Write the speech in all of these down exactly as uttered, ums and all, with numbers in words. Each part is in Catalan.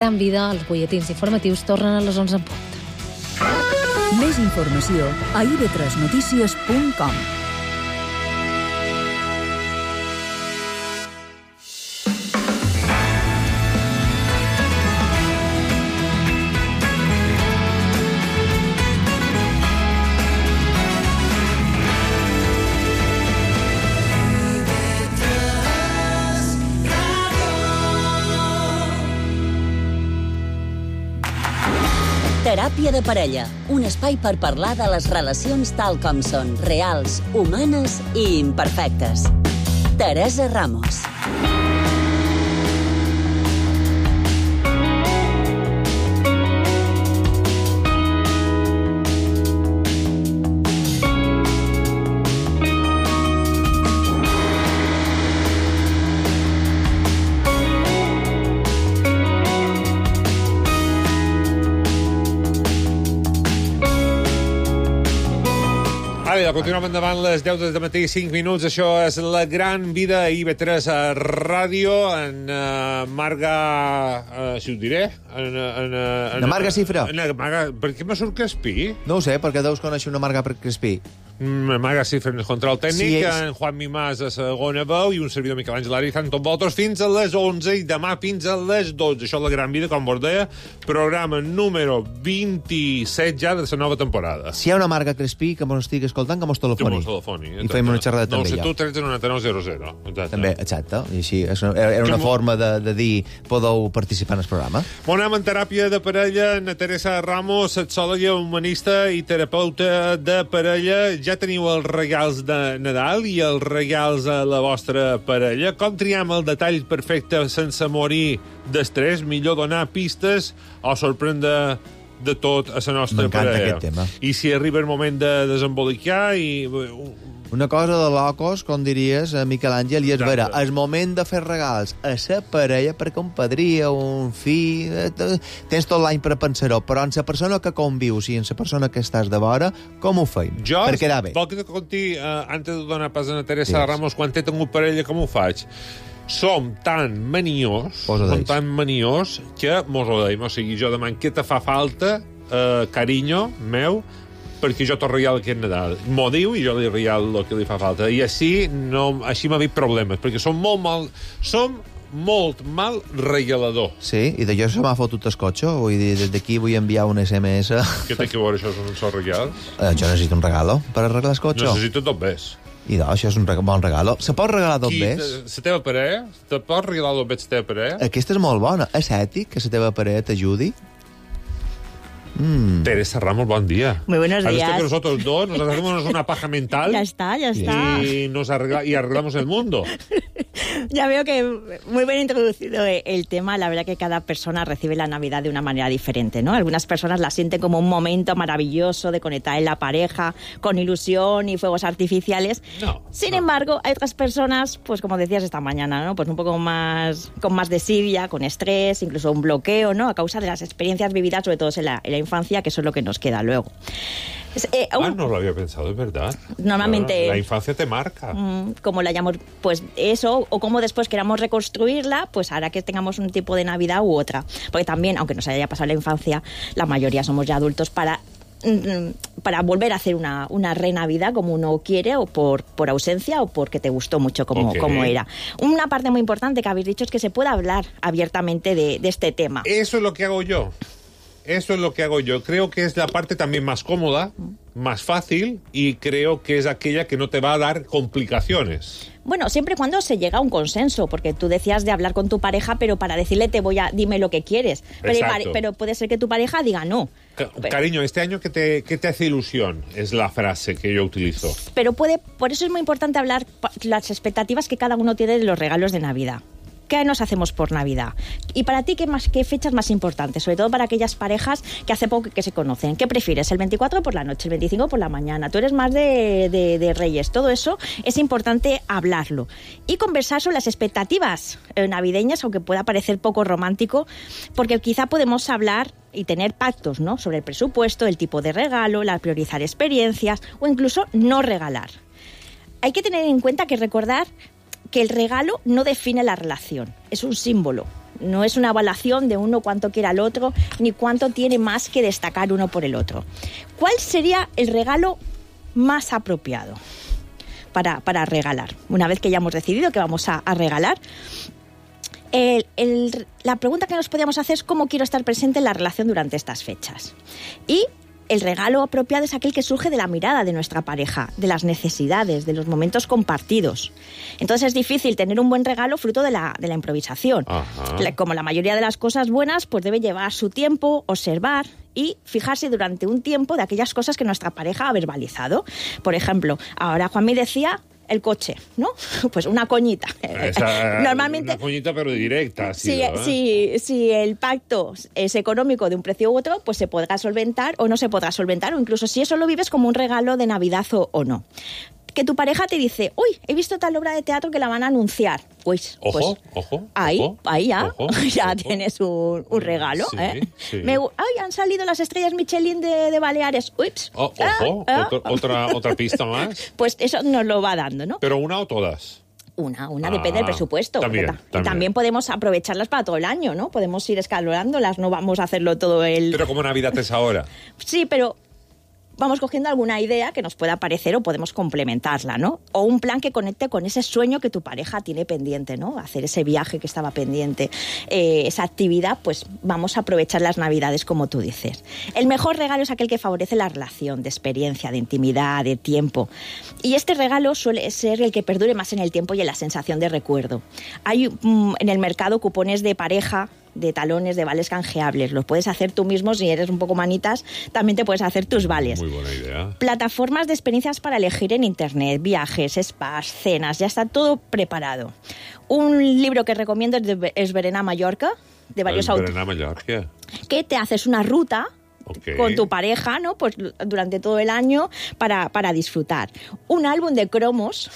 Gran Vida, els butlletins informatius tornen a les onze en punt. Més informació a i ve tres notícies punt com. Teràpia de parella, un espai per parlar de les relacions tal com són, reals, humanes i imperfectes. Teresa Ramos. Ara, continuem endavant les deu del matí, cinc minuts. Això és La Gran Vida a i ve tres a Ràdio. En uh, Marga... Uh, si ho diré? En, en, en, en Marga Cifra. En, en, Marga, per què me surt Crespí? No ho sé, perquè deus conèixer una Marga Crespí. Marga Cifra en el control tècnic, sí, és... en Juan Mimàs a segona veu i un servidor Miquel Àngel Ari tant amb vosaltres fins a les onze i demà fins a les dotze. Això és La Gran Vida, com vos deia, programa número vint-i-set ja de la nova temporada. Si hi ha una Marga Crespí que mos estigui escoltant, que mos telefoni. Que mos telefoni. I fem una xerrada també ja. nou set u tretze noranta-nou zero zero. També, exacte. I així, era una forma de, de dir podeu participar en el programa. Bon anem en teràpia de parella. Na Teresa Ramos, sexòloga, humanista i terapeuta de parella. Ja teniu els regals de Nadal i els regals a la vostra parella. Com triem el detall perfecte sense morir d'estrès? Millor donar pistes o sorprendre de tot a la nostra M'encanta parella. aquest tema. I si arriba el moment de desembolicar i... Una cosa de locos, com diries, Miquel Àngel, i és vera, el moment de fer regals a la parella, perquè un padrí, un fill... Tens tot l'any per pensar-ho, però en la persona que convius i en la persona que estàs de vora, com ho feim? Jo, per quedar bé. vol que te conti, uh, antes de donar pas a Teresa Digues. Ramos, quan he tingut parella, com ho faig? Som tan maniós, som tan maniós, que mos ho deim. O sigui, jo demano què te fa falta, uh, carinyo meu, perquè jo t'ho regalo aquest Nadal. M'ho diu i jo li regalo el que li fa falta. I així, no, així m'ha problemes, perquè som molt mal... Som molt mal regalador. Sí, i d'allò se m'ha fotut el cotxe, vull dir, des d'aquí vull enviar un ese eme esse. Què té que veure això són els regals? Eh, jo necessito un regalo per arreglar el cotxe. Necessito dos bes. I doncs, això és un reg bon regalo. Se pot regalar dos bes? La teva parella? Te pots regalar dos bes la teva parella? Aquesta és molt bona. És ètic que la teva parella t'ajudi? Mm. Teresa Ramos, buen día. Muy buenos días. Has visto que nosotros dos nos hacemos una paja mental. Ya está, ya está. Y, nos arregla, y arreglamos el mundo. Ya veo que muy bien introducido el tema. La verdad que cada persona recibe la Navidad de una manera diferente, ¿no? Algunas personas la sienten como un momento maravilloso de conectar en la pareja, con ilusión y fuegos artificiales. No, Sin no. embargo, hay otras personas, pues como decías esta mañana, ¿no? Pues un poco más, con más desidia, con estrés, incluso un bloqueo, ¿no? A causa de las experiencias vividas, sobre todo en la, en la infancia, que eso es lo que nos queda luego. Eh, un... Ah, no lo había pensado, es verdad. Normalmente... La, la infancia te marca. Mm, como la llamamos, pues eso, o como después queramos reconstruirla, pues hará que tengamos un tipo de Navidad u otra. Porque también, aunque nos haya pasado la infancia, la mayoría somos ya adultos para... para volver a hacer una, una re-Navidad como uno quiere, o por, por ausencia o porque te gustó mucho como, okay. como era. Una parte muy importante que habéis dicho es que se pueda hablar abiertamente de, de este tema. Eso es lo que hago yo. Eso es lo que hago yo. Creo que es la parte también más cómoda, más fácil, y creo que es aquella que no te va a dar complicaciones. Bueno, siempre y cuando se llega a un consenso, porque tú decías de hablar con tu pareja, pero para decirle te voy a, dime lo que quieres. Pero, pero puede ser que tu pareja diga no. Ca cariño, este año ¿qué te, qué te hace ilusión? Es la frase que yo utilizo. Pero puede, por eso es muy importante hablar las expectativas que cada uno tiene de los regalos de Navidad. ¿Qué nos hacemos por Navidad? Y para ti, ¿qué, más, qué fechas más importantes? Sobre todo para aquellas parejas que hace poco que se conocen. ¿Qué prefieres? ¿El veinticuatro por la noche, el veinticinco por la mañana? ¿Tú eres más de, de, de Reyes? Todo eso es importante hablarlo. Y conversar sobre las expectativas navideñas, aunque pueda parecer poco romántico, porque quizá podemos hablar y tener pactos, ¿no? Sobre el presupuesto, el tipo de regalo, la priorizar experiencias o incluso no regalar. Hay que tener en cuenta que recordar que el regalo no define la relación, es un símbolo. No es una evaluación de uno cuánto quiere al otro, ni cuánto tiene más que destacar uno por el otro. ¿Cuál sería el regalo más apropiado para, para regalar? Una vez que ya hemos decidido que vamos a, a regalar, el, el, la pregunta que nos podríamos hacer es cómo quiero estar presente en la relación durante estas fechas. Y el regalo apropiado es aquel que surge de la mirada de nuestra pareja, de las necesidades, de los momentos compartidos. Entonces es difícil tener un buen regalo fruto de la, de la improvisación. Ajá. Como la mayoría de las cosas buenas, pues debe llevar su tiempo, observar y fijarse durante un tiempo de aquellas cosas que nuestra pareja ha verbalizado. Por ejemplo, ahora Juanmi decía el coche, ¿no? Pues una coñita. Esa, Normalmente, una coñita pero directa. Si, sido, ¿eh? si, si el pacto es económico de un precio u otro, pues se podrá solventar o no se podrá solventar, o incluso si eso lo vives como un regalo de Navidad o, o no. Que tu pareja te dice, uy, he visto tal obra de teatro que la van a anunciar. Pues, ojo, pues ojo, ahí, ojo, ahí ya, ojo, ya ojo. tienes un, un regalo. Sí, ¿eh? sí. Me, ay, han salido las estrellas Michelin de, de Baleares. Ups. Oh, Ah, ojo, ah. otro- otra, otra pista más. Pues eso nos lo va dando, ¿no? Pero una o todas. Una, una, Ah, depende del presupuesto. también, porque ta- y también. también podemos aprovecharlas para todo el año, ¿no? Podemos ir escalonándolas, no vamos a hacerlo todo el... Pero como Navidad es ahora. Sí, pero vamos cogiendo alguna idea que nos pueda parecer o podemos complementarla, ¿no? O un plan que conecte con ese sueño que tu pareja tiene pendiente, ¿no? Hacer ese viaje que estaba pendiente, eh, esa actividad, pues vamos a aprovechar las Navidades como tú dices. El mejor regalo es aquel que favorece la relación, de experiencia, de intimidad, de tiempo. Y este regalo suele ser el que perdure más en el tiempo y en la sensación de recuerdo. Hay mm, en el mercado cupones de pareja, de talones, de vales canjeables. Los puedes hacer tú mismo, si eres un poco manitas, también te puedes hacer tus vales. Muy buena idea. Plataformas de experiencias para elegir en internet, viajes, spas, cenas, ya está todo preparado. Un libro que recomiendo es de Esberena Mallorca, de varios El autores, Berenar Mallorca. que te haces una ruta Ok. con tu pareja, ¿no? Pues durante todo el año para, para disfrutar. Un álbum de cromos,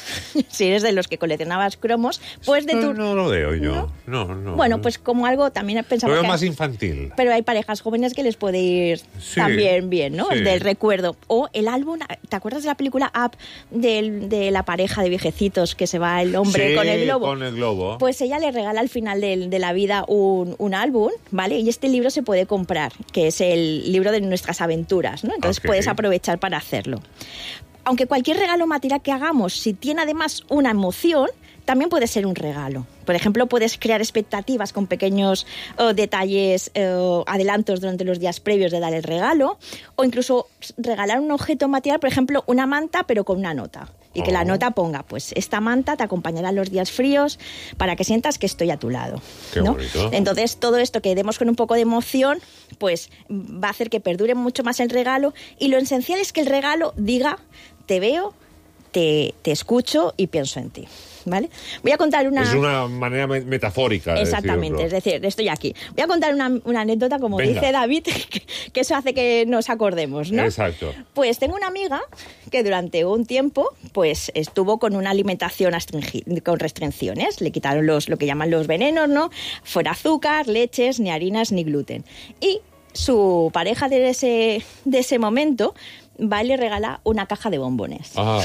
si eres de los que coleccionabas cromos, pues de no, tu... no lo veo yo. No, no. Bueno, pues como algo también Lo pensamos veo que... más infantil. Pero hay parejas jóvenes que les puede ir Sí, también bien, ¿no? sí. El del recuerdo. O el álbum, ¿te acuerdas de la película Up del- de la pareja de viejecitos que se va el hombre Sí, con el globo? con el globo. Pues ella le regala al final del- de la vida un, un álbum, ¿vale? Y este libro se puede comprar, que es el libro de nuestras aventuras, ¿no? Entonces Ok. puedes aprovechar para hacerlo. Aunque cualquier regalo material que hagamos, si tiene además una emoción, también puede ser un regalo. Por ejemplo, puedes crear expectativas con pequeños eh, detalles, eh, adelantos durante los días previos de dar el regalo, o incluso regalar un objeto material, por ejemplo, una manta, pero con una nota. Y que Oh. la nota ponga, pues, esta manta te acompañará en los días fríos para que sientas que estoy a tu lado. Qué ¿no? bonito. Entonces, todo esto que demos con un poco de emoción, pues va a hacer que perdure mucho más el regalo. Y lo esencial es que el regalo diga, te veo, te, te escucho y pienso en ti. ¿Vale? Voy a contar una... Es una manera me- metafórica de Exactamente, decirlo. es decir, estoy aquí. Voy a contar una, una anécdota, como Venga. dice David, que, que eso hace que nos acordemos, ¿no? Exacto. Pues tengo una amiga que durante un tiempo pues estuvo con una alimentación astringi- con restricciones. Le quitaron los, lo que llaman los venenos, ¿no? Fuera azúcar, leches, ni harinas, ni gluten. Y su pareja de ese, de ese momento va y le regala una caja de bombones. Ah.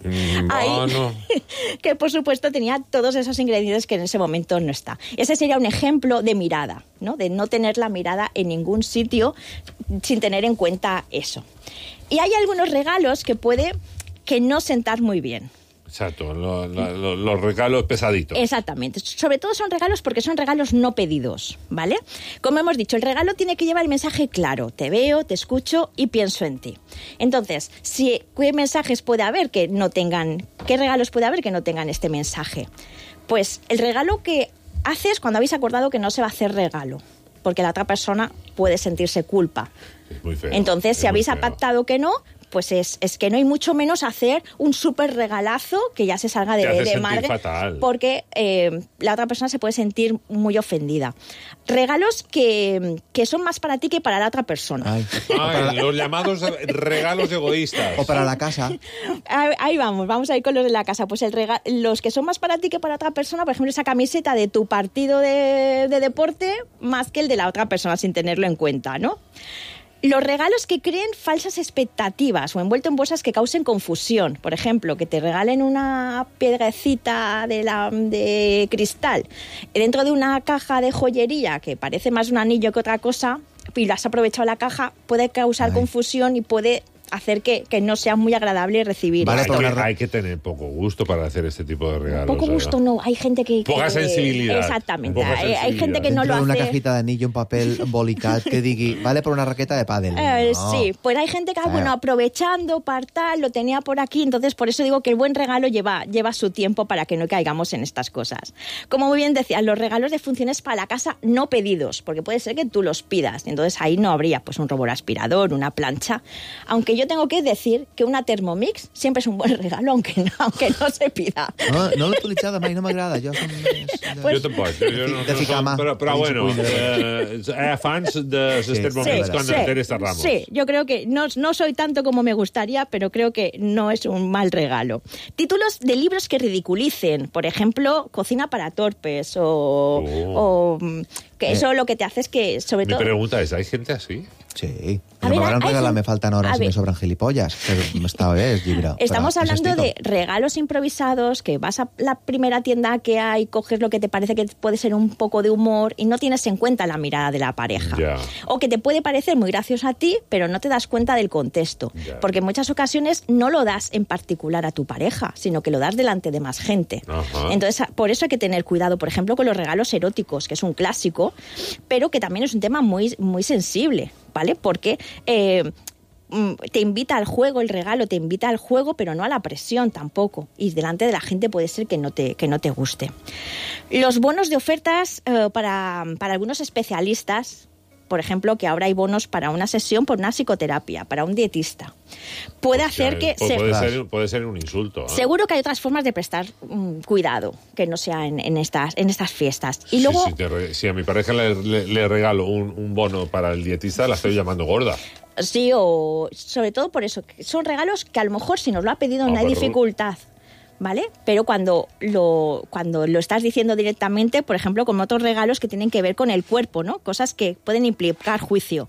Mm, Ahí, bueno. que por supuesto tenía todos esos ingredientes que en ese momento no está. Ese sería un ejemplo de mirada, ¿no? De no tener la mirada en ningún sitio sin tener en cuenta eso. Y hay algunos regalos que puede que no sentar muy bien. Exacto, lo- lo- lo- los regalos pesaditos. Exactamente. Sobre todo son regalos porque son regalos no pedidos, ¿vale? Como hemos dicho, el regalo tiene que llevar el mensaje claro. Te veo, te escucho y pienso en ti. Entonces, si, ¿qué mensajes puede haber que no tengan, qué regalos puede haber que no tengan este mensaje? Pues el regalo que haces cuando habéis acordado que no se va a hacer regalo, porque la otra persona puede sentirse culpa. Es muy feo. Entonces, es si muy habéis feo. pactado que no, pues es, es que no hay mucho menos hacer un súper regalazo que ya se salga de, Te hace de sentir madre, fatal. porque eh, la otra persona se puede sentir muy ofendida. Regalos que, que son más para ti que para la otra persona. Ay. Ay, los llamados regalos egoístas. O para la casa. Ahí, ahí vamos, vamos a ir con los de la casa. Pues el rega- los que son más para ti que para otra persona, por ejemplo, esa camiseta de tu partido de, de deporte, más que el de la otra persona, sin tenerlo en cuenta, ¿no? Los regalos que creen falsas expectativas o envuelto en bolsas que causen confusión. Por ejemplo, que te regalen una piedrecita de, la, de cristal dentro de una caja de joyería que parece más un anillo que otra cosa y lo has aprovechado la caja, puede causar Ay. confusión y puede hacer que, que no sea muy agradable recibir. Vale, hay, que, hay que tener poco gusto para hacer este tipo de regalos. Poco gusto, no. Hay gente que... Poca que, sensibilidad. Exactamente. Poca hay, hay gente que no lo hace... una cajita de anillo, un papel embolicat que digui, vale por una raqueta de pádel. Eh, no. Sí, pues hay gente que, ah, bueno, aprovechando, para tal, lo tenía por aquí, entonces por eso digo que el buen regalo lleva, lleva su tiempo para que no caigamos en estas cosas. Como muy bien decías, los regalos de funciones para la casa no pedidos, porque puede ser que tú los pidas, entonces ahí no habría pues un robot aspirador, una plancha, aunque yo tengo que decir que una Thermomix siempre es un buen regalo, aunque no, aunque no se pida. No, no l'he utilitzat mai, no m'agrada. Jo, som més de... pues, jo tampoc. Jo, jo no, de ficar mà. Però, però bueno, eh, eh, fans de les sí, Thermomix sí, con sí, Teresa Ramos. Sí, yo creo que no, no soy tanto como me gustaría, pero creo que no es un mal regalo. Títulos de libros que ridiculicen, por ejemplo, Cocina para torpes o... Oh. o que eso eh. lo que te hace es que, sobre Mi todo... Mi pregunta es, ¿hay gente así? Sí. A ver, m'hauran regalat, me faltan horas y me sobran gilipollas. Pero esta vez, llibre. Estamos pero, hablando de regalos improvisados, que vas a la primera tienda que hay, coges lo que te parece que puede ser un poco de humor y no tienes en cuenta la mirada de la pareja. Yeah. O que te puede parecer muy gracioso a ti, pero no te das cuenta del contexto. Yeah. Porque en muchas ocasiones no lo das en particular a tu pareja, sino que lo das delante de más gente. Uh-huh. Entonces, por eso hay que tener cuidado, por ejemplo, con los regalos eróticos, que es un clásico, pero que también es un tema muy, muy sensible, ¿vale? Porque eh, te invita al juego, el regalo te invita al juego, pero no a la presión tampoco. Y delante de la gente puede ser que no te, que no te guste. Los bonos de ofertas eh, para, para algunos especialistas, por ejemplo, que ahora hay bonos para una sesión por una psicoterapia, para un dietista. Puede o sea, hacer que... Puede, se... ser, puede ser un insulto. ¿eh? Seguro que hay otras formas de prestar um, cuidado, que no sea en, en, estas, en estas fiestas. Y luego... Sí, sí, te, si a mi pareja le, le, le regalo un, un bono para el dietista, la estoy llamando gorda. Sí, o sobre todo por eso. Son regalos que a lo mejor si nos lo ha pedido no, no hay dificultad. ¿Vale? Pero cuando lo, cuando lo estás diciendo directamente, por ejemplo, con otros regalos que tienen que ver con el cuerpo, ¿no? Cosas que pueden implicar juicio.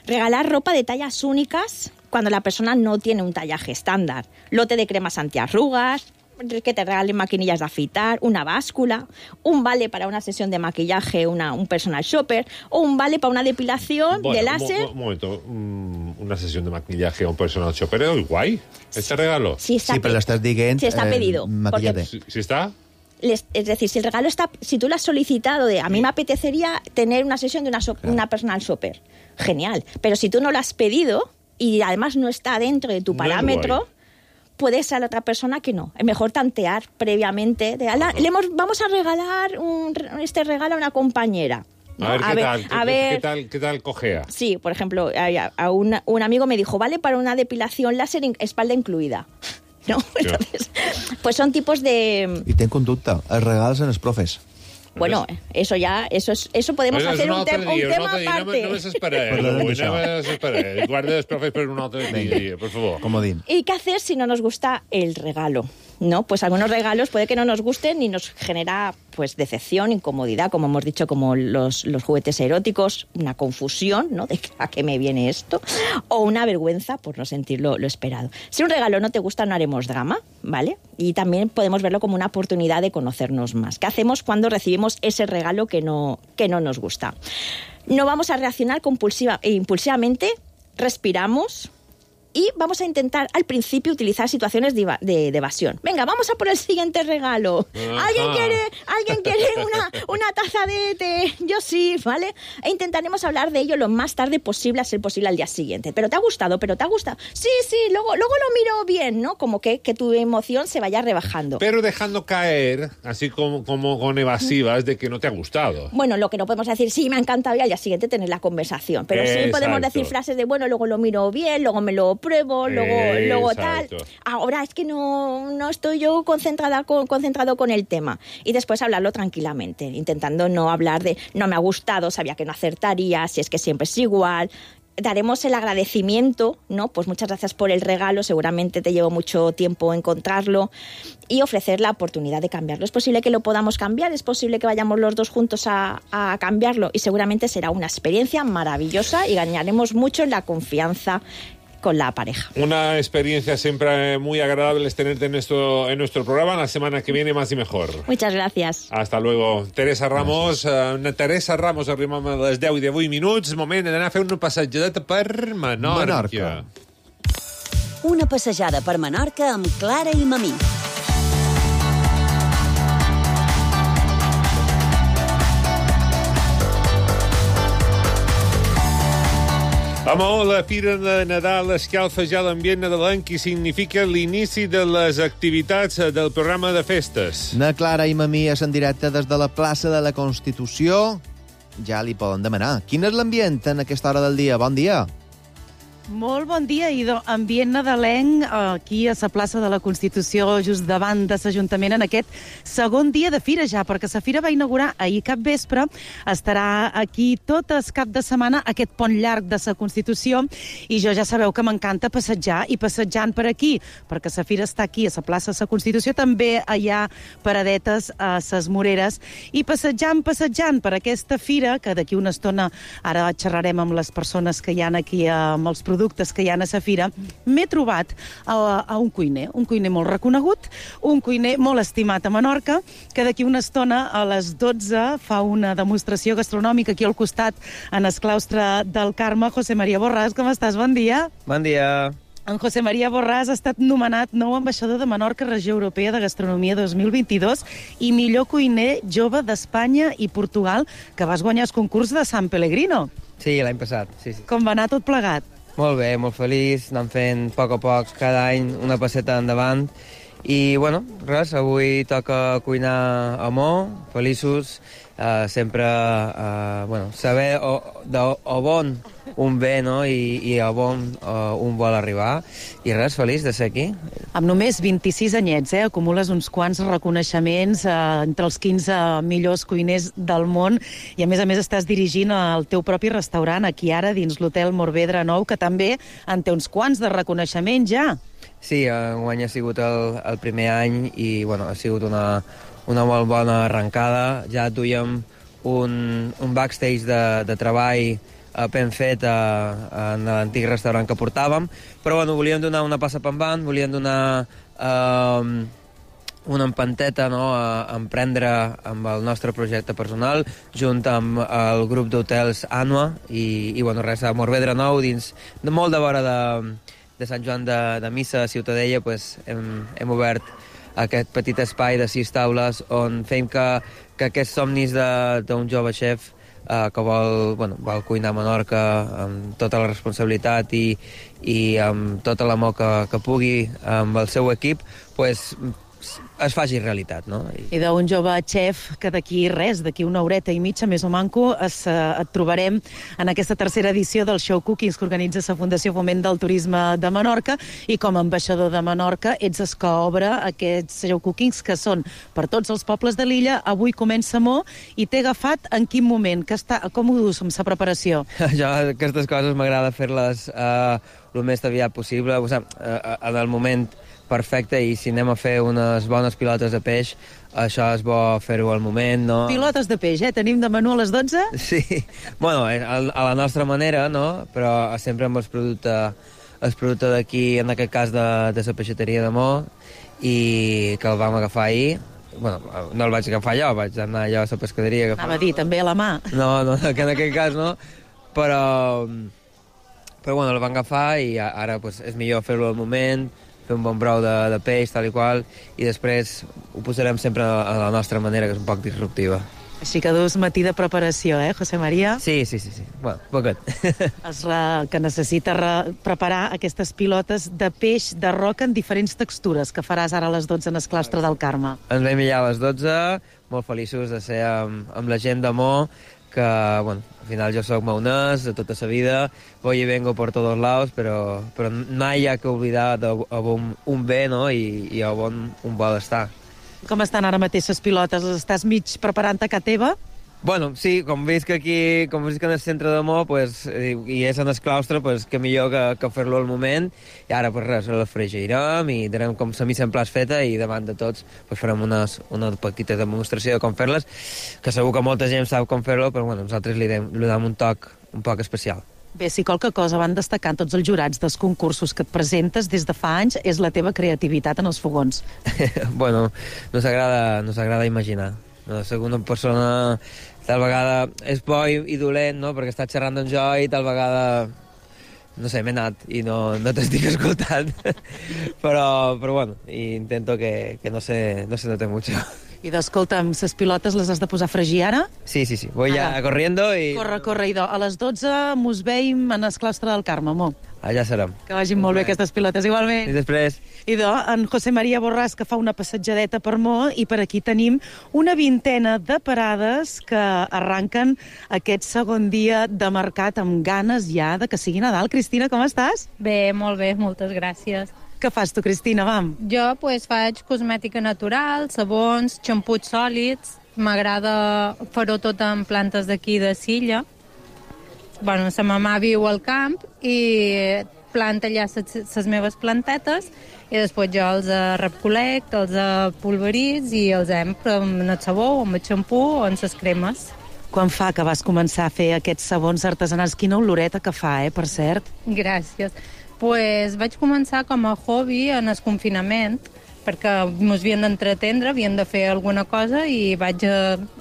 Regalar ropa de tallas únicas cuando la persona no tiene un tallaje estándar. Lote de cremas antiarrugas, que te regalen maquinillas de afeitar, una báscula, un vale para una sesión de maquillaje, una, un personal shopper, o un vale para una depilación bueno, de láser. Un momento, una sesión de maquillaje o un personal shopper es guay, este regalo. Sí, está sí, pero lo estás diciendo. Sí, está pedido. Eh, porque, ¿Sí, ¿Sí está? Les, es decir, si el regalo está, si tú lo has solicitado de, a mí me apetecería tener una sesión de una, so, claro. una personal shopper, genial. Pero si tú no lo has pedido y además no está dentro de tu no parámetro, puede ser la otra persona que no. Es mejor tantear previamente. De, ala, le hemos, vamos a regalar un, este regalo a una compañera. ¿No? A ver, ¿qué, a ver, tal, a qué, ver, ¿qué, tal, ¿qué tal cojea? Sí, por ejemplo, a, a un, un amigo me dijo, vale para una depilación láser, espalda incluida. ¿No? Entonces, pues son tipos de... I ten conducta, els regals en els profes. Bueno, eso ya, eso es, eso podemos bueno, hacer un, te dia, un tema dia, aparte. No, no m'esperaré, no m'esperaré. Guarda els profes per un altre dia, por favor. Comodín. ¿Y qué hacer si no nos gusta el regalo? ¿No? Pues algunos regalos puede que no nos gusten y nos genera pues decepción, incomodidad, como hemos dicho, como los, los juguetes eróticos, una confusión, ¿no? De a qué me viene esto, o una vergüenza por no sentir lo, lo esperado. Si un regalo no te gusta, no haremos drama, ¿vale? Y también podemos verlo como una oportunidad de conocernos más. ¿Qué hacemos cuando recibimos ese regalo que no, que no nos gusta? No vamos a reaccionar compulsiva, impulsivamente, respiramos y vamos a intentar al principio utilizar situaciones de, de, de evasión. Venga, vamos a por el siguiente regalo. Ajá. ¿Alguien quiere, ¿alguien quiere una, una taza de té? Yo sí, ¿vale? E intentaremos hablar de ello lo más tarde posible, a ser posible al día siguiente. ¿Pero te ha gustado? ¿Pero te ha gustado? Sí, sí, luego, luego lo miro bien, ¿no? Como que, que tu emoción se vaya rebajando. Pero dejando caer, así como, como con evasivas, de que no te ha gustado. Bueno, lo que no podemos decir, sí, me ha encantado, y al día siguiente tener la conversación. Pero Exacto. sí podemos decir frases de, bueno, luego lo miro bien, luego me lo pruebo, luego, luego tal. Ahora es que no, no estoy yo concentrada con, concentrado con el tema. Y después hablarlo tranquilamente, intentando no hablar de no me ha gustado, sabía que no acertaría, si es que siempre es igual. daremos el agradecimiento, ¿no? Pues muchas gracias por el regalo, seguramente te llevó mucho tiempo encontrarlo, y ofrecer la oportunidad de cambiarlo. Es posible que lo podamos cambiar, es posible que vayamos los dos juntos a, a cambiarlo, y seguramente será una experiencia maravillosa y ganaremos mucho en la confianza con la pareja. Una experiencia siempre muy agradable es tenerte en nuestro, en nuestro programa. La semana que viene más y mejor. Muchas gracias. Hasta luego. Teresa Ramos. Uh, Teresa Ramos, arribem a les deu i divuit minuts. Moment d'anar a fer una passejadeta per Menorca. Menorca. Una passejada per Menorca amb Clara i Mamí. Amor, la Fira de Nadal escalfa ja l'ambient nadalenc i significa l'inici de les activitats del programa de festes. Na Clara i Mamí és en directe des de la plaça de la Constitució. Ja li poden demanar. Quin és l'ambient en aquesta hora del dia? Bon dia. Molt bon dia, Ido. Ambient nadalenc aquí a la plaça de la Constitució, just davant de l'Ajuntament, en aquest segon dia de fira ja, perquè la fira va inaugurar ahir cap vespre. Estarà aquí tot el cap de setmana, aquest pont llarg de la Constitució, i jo ja sabeu que m'encanta passejar, i passejant per aquí, perquè la fira està aquí, a la plaça de la Constitució, també hi ha paradetes a les Moreres, i passejant, passejant per aquesta fira, que d'aquí una estona ara xerrarem amb les persones que hi ha aquí, amb els productes productes que hi ha a la fira, m'he trobat a, a un cuiner, un cuiner molt reconegut, un cuiner molt estimat a Menorca, que d'aquí una estona a les dotze fa una demostració gastronòmica aquí al costat, en el claustre del Carme. José María Borràs, com estàs? Bon dia. Bon dia. En José María Borràs ha estat nomenat nou ambaixador de Menorca, Regió Europea de Gastronomia dos mil vint-i-dos, i millor cuiner jove d'Espanya i Portugal, que vas guanyar el concurs de San Pellegrino. Sí, l'any passat, sí, sí. Com va anar tot plegat? Molt bé, molt feliç, anem fent a poc a poc, cada any una passeta endavant. I, bueno, res, avui toca cuinar amor, feliços, eh, sempre, eh, bueno, saber o, de, o bon un ve, no?, i, i a bon uh, un vol arribar. I res, feliç de ser aquí. Amb només vint-i-sis anyets, eh, acumules uns quants reconeixements eh, entre els quinze millors cuiners del món, i a més a més estàs dirigint el teu propi restaurant aquí ara dins l'Hotel Morvedre Nou, que també en té uns quants de reconeixement ja. Sí, enguany ha sigut el, el primer any i, bueno, ha sigut una, una molt bona arrencada. Ja duíem un, un backstage de, de treball ben fet a, en l'antic restaurant que portàvem, però bueno, volíem donar una passa pendant, volíem donar eh, una empanteta, no?, a, a emprendre amb el nostre projecte personal, junt amb el grup d'hotels Anua, i, i bueno, res, a Morvedre Nou, dins de molt de vora de, de Sant Joan de, de Missa, a Ciutadella, pues, hem, hem obert aquest petit espai de sis taules on fem que, que aquests somnis d'un jove xef Uh, que vol, bueno, vol cuinar a Menorca amb tota la responsabilitat i, i amb tota l'amor que, que pugui amb el seu equip, pues, es faci realitat, no? I, I d'un jove xef que d'aquí res, d'aquí una horeta i mitja, més o manco, es, uh, et trobarem en aquesta tercera edició del Show Cookings que organitza la Fundació Foment del Turisme de Menorca, i com a ambaixador de Menorca ets el que obre aquests Show Cookings que són per tots els pobles de l'illa. Avui comença Mo, i t'he agafat en quin moment? Que està, com ho dus amb la preparació? Jo aquestes coses m'agrada fer-les uh, el més aviat possible, o sigui, uh, en el moment perfecte, i si anem a fer unes bones pilotes de peix, això és bo fer-ho al moment, no? Pilotes de peix, eh? Tenim de menú a les dotze? Sí, bueno, a la nostra manera, no? Però sempre amb els productes, el producte d'aquí, en aquest cas de, de la peixateria de Mo, i que el vam agafar ahir. Bueno, no el vaig agafar jo, vaig anar allò a la pescaderia. Anava a dir, també a la mà. No, no, que en aquest cas no, però, però bueno, el vam agafar i ara pues, és millor fer-lo al moment, fer un bon brou de, de peix, tal i qual, i després ho posarem sempre a la nostra manera, que és un poc disruptiva. Així que dus matí de preparació, eh, José María? Sí, sí, sí, sí. Bueno, poquet. Es re, que necessita re, preparar aquestes pilotes de peix de roca en diferents textures, que faràs ara a les dotze en el claustre del Carme. Ens vam allà a les dotze, molt feliços de ser amb, amb la gent de Mo, que, bueno, al final jo soc maonès de tota la vida, voy y vengo por todos lados, però, però mai hi ha que oblidar de, on un ve, no?, i, i on un vol estar. Com estan ara mateix les pilotes? Les estàs mig preparant a casa teva? Bueno, sí, com visc aquí, com visc en el centre de Mo, pues, i, i és en el claustre, pues, que millor que, que fer-lo al moment. I ara, pues res, el fregirem i tenim com la missa en plaç feta i davant de tots pues, farem unes, una petita demostració de com fer-les, que segur que molta gent sap com fer-lo, però bueno, nosaltres li dem, li dem un toc un poc especial. Bé, si qualque cosa van destacant tots els jurats dels concursos que et presentes des de fa anys és la teva creativitat en els fogons. Bueno, no s'agrada no s'agrada imaginar. No, soc una persona tal vegada és bo i, i dolent, no? Perquè estàs xerrant amb jo i tal vegada no sé, m'he anat i no, no t'estic escoltant. però, però bueno, intento que, que no, se, no se note mucho. I d'escolta'm, les pilotes les has de posar a fregir ara? Sí, sí, sí. Voy ya corriendo y... Corre, corre, idò. A les dotze mos veiem en el claustre del Carme, mo. Allà serem. Que vagin molt bé aquestes pilotes, igualment. I després... Idò, en José María Borràs, que fa una passejadeta per Mo, i per aquí tenim una vintena de parades que arranquen aquest segon dia de mercat amb ganes ja de que sigui Nadal. Cristina, com estàs? Bé, molt bé, moltes gràcies. Què fas tu, Cristina, vam? Jo pues, faig cosmètica natural, sabons, xamputs sòlids. M'agrada fer-ho tot en plantes d'aquí de Silla. Bueno, sa mamà viu al camp i planta allà les meves plantetes i després jo els recollec, els pulveritz i els empro amb el sabó, amb el xampú o amb les cremes. Quan fa que vas començar a fer aquests sabons artesanals? Quina oloreta que fa, eh, per cert. Gràcies. Pues vaig començar com a hobby en el confinament, perquè ens havien d'entretendre, havien de fer alguna cosa i vaig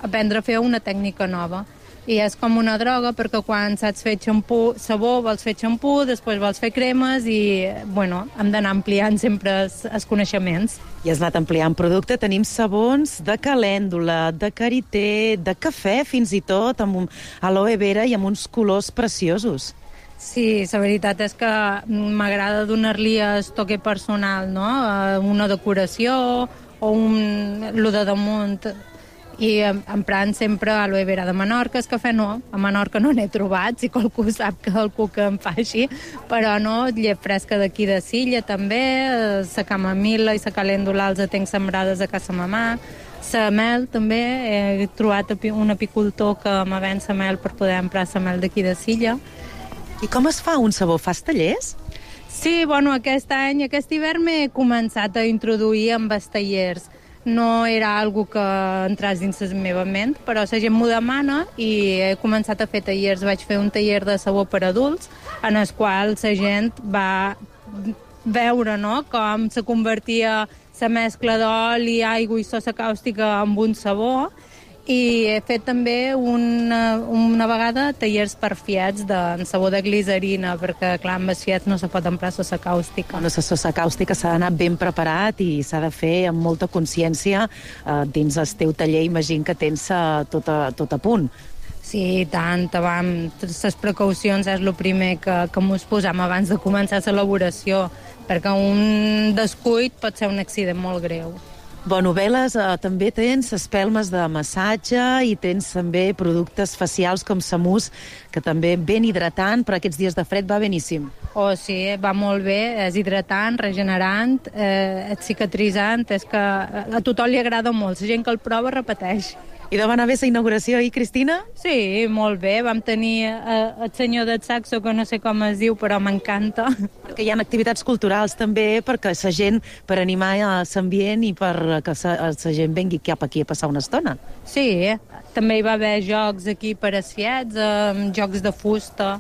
aprendre a fer una tècnica nova. I és com una droga, perquè quan saps fer xampú, sabó, vols fer xampú, després vols fer cremes i, bueno, hem d'anar ampliant sempre els, els coneixements. I has anat ampliant producte. Tenim sabons de calèndula, de karité, de cafè, fins i tot, amb un aloe vera i amb uns colors preciosos. Sí, la veritat és que m'agrada donar-li el toque personal, no? Una decoració o un... lo de damunt. I emprant sempre aloe vera de Menorca. El cafè no, a Menorca no n'he trobat, si qualcú sap que algú que em fa així, però no, llet fresca d'aquí de Silla també, la camamila i la calèndula els tenc sembrades a casa mamà. La mel també, he trobat un apicultor que me ven la mel per poder emprar la mel d'aquí de Silla. I com es fa un sabó? Fas tallers? Sí, bueno, aquest any, aquest hivern m'he començat a introduir amb els tallers. No era algo que entràs dins la meva ment, però la gent m'ho demana i he començat a fer tallers. Vaig fer un taller de sabó per adults, en el qual la gent va veure, no?, com se convertia la mescla d'oli, aigua i sosa càustica en un sabó. I he fet també una, una vegada tallers per fiets de sabó de glicerina, perquè, clar, amb els fiets no se pot emprar sosa càustica. Bueno, la sosa càustica s'ha d'anar ben preparat i s'ha de fer amb molta consciència eh, dins el teu taller. Imagino que tens eh, tot, a, tot a punt. Sí, tant, vam, totes les precaucions és el primer que, que mos posam abans de començar l'elaboració, perquè un descuit pot ser un accident molt greu. Bueno, Veles, eh, també tens espelmes de massatge i tens també productes facials com Samús, que també ben hidratant, per aquests dies de fred va beníssim. Oh, sí, va molt bé, és hidratant, regenerant, eh, és cicatritzant, és que a tothom li agrada molt, la gent que el prova repeteix. I de va anar bé la inauguració, i Cristina? Sí, molt bé. Vam tenir eh, el senyor del saxo, que no sé com es diu, però m'encanta. Perquè hi ha activitats culturals també, perquè la gent, per animar l'ambient i per que la gent vengui cap aquí a passar una estona. Sí, també hi va haver jocs aquí per a fiets, eh, jocs de fusta.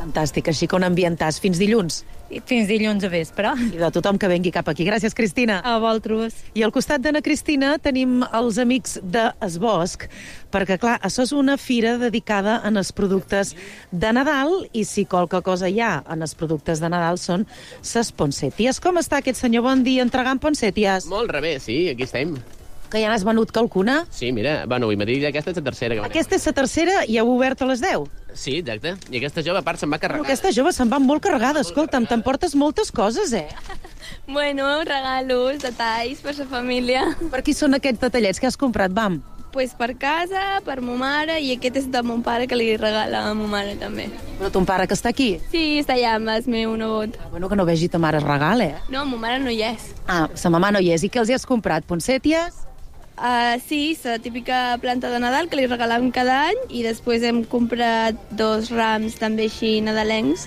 Fantàstic, així que on ambientàs fins dilluns? Fins dilluns a vespre. I de tothom que vengui cap aquí. Gràcies, Cristina. A vosaltres. I al costat d'Anna Cristina tenim els amics de Es Bosc, perquè, clar, això és una fira dedicada en els productes de Nadal, i si qualque cosa hi ha en els productes de Nadal són ses poncèties. Com està aquest senyor? Bon dia, entregant poncèties. Molt rebé, sí, aquí estem. Que ja n'has venut qualcuna? Sí, mira, bueno, avui matí aquesta és la tercera. Que aquesta és la tercera i heu obert a les deu? Sí, exacte. I aquesta jove, a part, se'n va carregada. Però aquesta jove se'n va molt carregada. Escolta'm, t'emportes moltes coses, eh? Bueno, regalos, detalls per la família. Per qui són aquests detallets que has comprat, vam? Pues per casa, per ma mare, i aquest és de mon pare, que li regala a ma mare també. Però ton pare que està aquí? Sí, està allà amb el meu nebot. Bueno, que no vegi ta mare es regal, eh? No, ma mare no hi és. Ah, sa mamà no hi és. I què els hi has comprat? Poncèties? Uh, sí, la típica planta de Nadal que li regalàvem cada any i després hem comprat dos rams també així nadalencs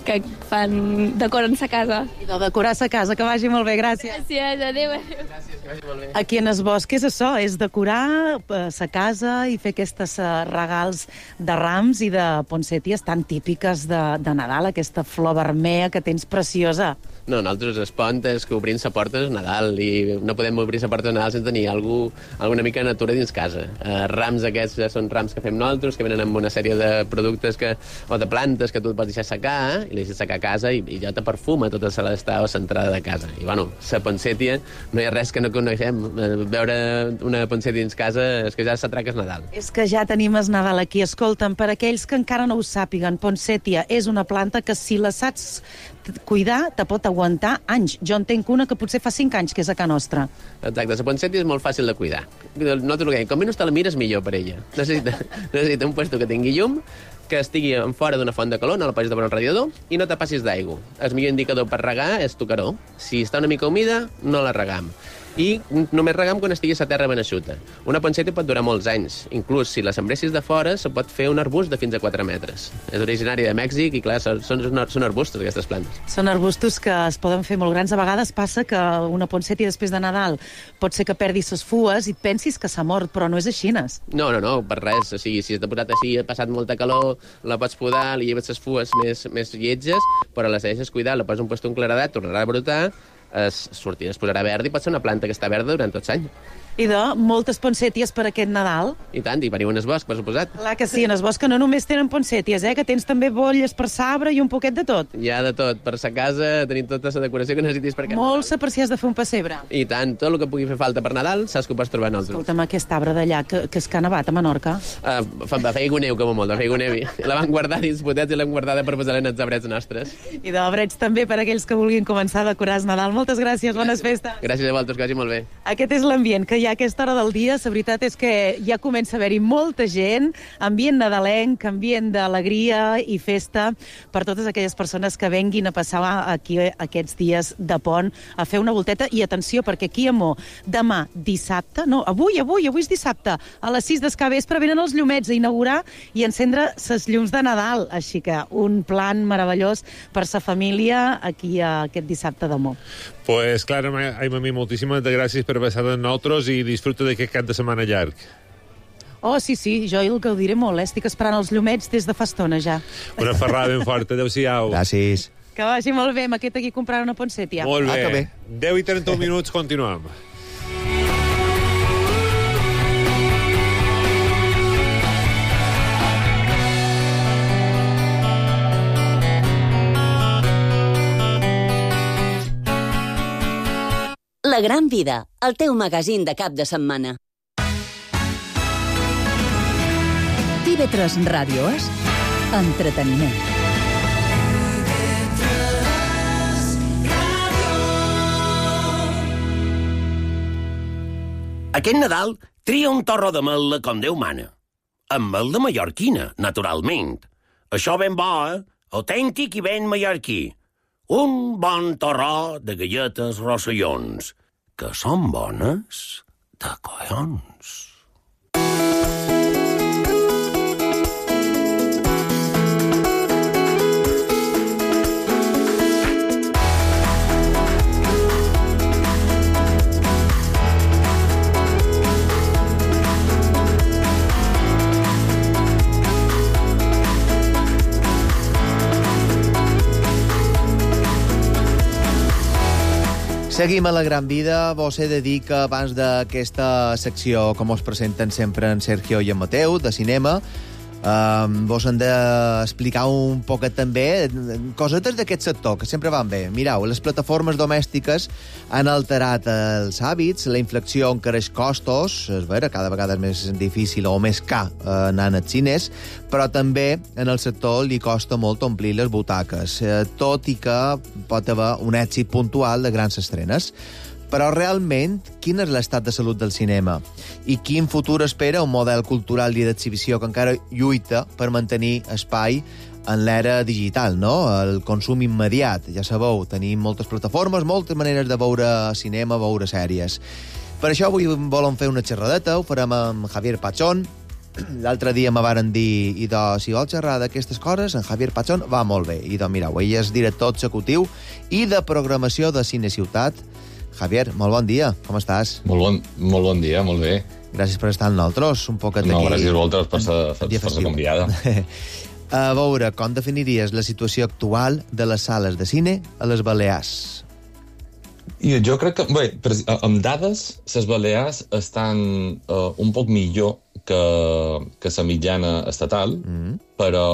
que fan, decoren sa casa. I de decorar sa casa, que vagi molt bé, gràcies. Gràcies, adéu, adéu. Gràcies, que vagi molt bé. Aquí en es bosc és això, és decorar sa casa i fer aquestes regals de rams i de poncèties tan típiques de, de Nadal, aquesta flor vermella que tens preciosa. No, nosaltres es pont és que obrim la porta és Nadal i no podem obrir la porta de Nadal sense tenir algú, alguna mica de natura dins casa. Uh, rams aquests ja són rams que fem nosaltres, que venen amb una sèrie de productes que, o de plantes que tu et pots deixar secar i li deixes secar a casa i, i ja te perfuma tota la d'estar a l'entrada de casa. I bueno, la poncètia, no hi ha res que no coneixem. Veure una poncètia dins casa és que ja s'atraca és Nadal. És que ja tenim es Nadal aquí. Escolta'm, per aquells que encara no ho sàpiguen, poncètia és una planta que si la saps cuidar te pot aguantar anys. Jo entenc una que potser fa cinc anys que és a casa nostra. Exacte, la poncètia és molt fàcil de cuidar. Nosaltres ho dèiem, com menys te la mires millor per ella. Necessita, necessita un puesto que tingui llum, que estigui en fora d'una font de calor, no la posis davant el radiador, i no te passis d'aigua. El millor indicador per regar és tocaró. Si està una mica humida, no la regam. I només regam quan estigui a la terra ben eixuta. Una poncètia pot durar molts anys. Inclús si la sembressis de fora, se pot fer un arbust de fins a quatre metres. És originari de Mèxic i, clar, són, són arbustos, aquestes plantes. Són arbustos que es poden fer molt grans. A vegades passa que una poncètia després de Nadal pot ser que perdi ses fues i pensis que s'ha mort, però no és així. No, no, no, per res. O sigui, si has posat així, ha passat molta calor, la pots podar, li lleves les fues més, més lletges, però les deixes cuidar, la poses un puesto en claredat, tornarà a brotar, es sortirà, es posarà verd i pot ser una planta que està verda durant tot l'any. I de moltes poncèties per aquest Nadal. I tant, i veniu en el bosc, per suposat. Clar que sí, en el bosc que no només tenen poncèties, eh? Que tens també bolles per sabre i un poquet de tot. Hi ha de tot, per sa casa, tenim tota la decoració que necessitis per casa. Molt sa per si has de fer un pessebre. I tant, tot el que pugui fer falta per Nadal, saps que ho pots trobar en nosaltres. Escolta'm, aquest arbre d'allà, que, que és que ha nevat a Menorca. Uh, fa, fa feia neu, com a molt, fa feia neu. La van guardar dins potets i l'hem guardada per posar-la en els abrets nostres. I d'abrets també per aquells que vulguin començar a decorar el Nadal. Moltes gràcies, bones festes. Gràcies a vosaltres, que vagi molt bé. Aquest és l'ambient que hi ha a aquesta hora del dia. La veritat és que ja comença a haver-hi molta gent, ambient nadalenc, ambient d'alegria i festa per totes aquelles persones que venguin a passar aquí aquests dies de pont a fer una volteta. I atenció, perquè aquí a Mo, demà dissabte, no, avui, avui, avui és dissabte, a les sis del vespre venen els llumets a inaugurar i encendre ses llums de Nadal. Així que un plan meravellós per sa família aquí aquest dissabte de Mo. Pues Clara, Aimami, moltíssimes gràcies per passar amb nosaltres i disfruta d'aquest cap de setmana llarg. Oh, sí, sí, jo el gaudiré molt, eh? Estic esperant els llumets des de fa estona, ja. Una ferrada ben forta, adéu-siau. Gràcies. Que vagi molt bé, m'ha quedat aquí comprar una poncètia. Molt bé. Ah, que bé. deu i trenta-un minuts, continuem. La Gran Vida, el teu magazín de cap de setmana. T V tres Ràdio és entreteniment. Aquest Nadal tria un torró de mel com Déu mana. Amb mel de mallorquina, naturalment. Això ben bo, eh? Autèntic i ben mallorquí. Un bon torró de galletes rossellons, que són bones de collons. Seguim a La Gran Vida. Vos he de dir que abans d'aquesta secció, com us presenten sempre en Sergio i en Mateu, de cinema, eh, vos hem d'explicar un poquet també cosetes d'aquest sector, que sempre van bé. Mireu, les plataformes domèstiques han alterat els hàbits, la inflació encareix costos, és vera, cada vegada és més difícil o més car anar als cines, però també en el sector li costa molt omplir les butaques, eh, tot i que pot haver un èxit puntual de grans estrenes. Però realment, quin és l'estat de salut del cinema? I quin futur espera un model cultural i d'exhibició que encara lluita per mantenir espai en l'era digital, no? El consum immediat. Ja sabeu, tenim moltes plataformes, moltes maneres de veure cinema, veure sèries. Per això avui volem fer una xerradeta, ho farem amb Javier Pachón. L'altre dia me varen dir, i de, si vols xerrar d'aquestes coses, en Javier Pachón va molt bé. I doncs, mireu, ell és director executiu i de programació de Cine Ciutat. Javier, molt bon dia, com estàs? Molt bon, molt bon dia, molt bé. Gràcies per estar amb nosaltres, un poquet no, aquí. No, gràcies a vosaltres per ser, per ser convidada. A veure, com definiries la situació actual de les sales de cine a les Balears? I jo crec que, bé, amb dades, les Balears estan uh, un poc millor que, que la mitjana estatal, mm. però,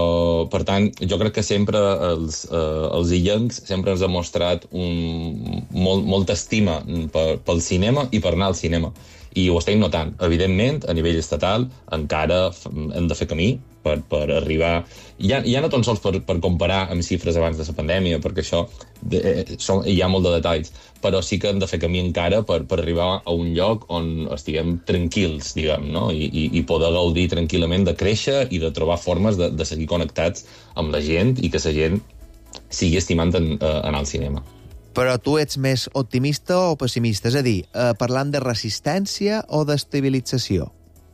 per tant, jo crec que sempre els, uh, els illencs sempre ens ha mostrat un, molt, molta estima per, pel cinema i per anar al cinema. I ho estem notant. Evidentment, a nivell estatal, encara hem de fer camí per, per arribar... Ja, ja no tan sols per, per comparar amb xifres abans de la pandèmia, perquè això de, són, hi ha molt de detalls, però sí que hem de fer camí encara per, per arribar a un lloc on estiguem tranquils, diguem, no? I, i, i poder gaudir tranquil·lament de créixer i de trobar formes de, de seguir connectats amb la gent i que la gent sigui estimant en, uh, anar al cinema. Però tu ets més optimista o pessimista? És a dir, eh, parlant de resistència o d'estabilització?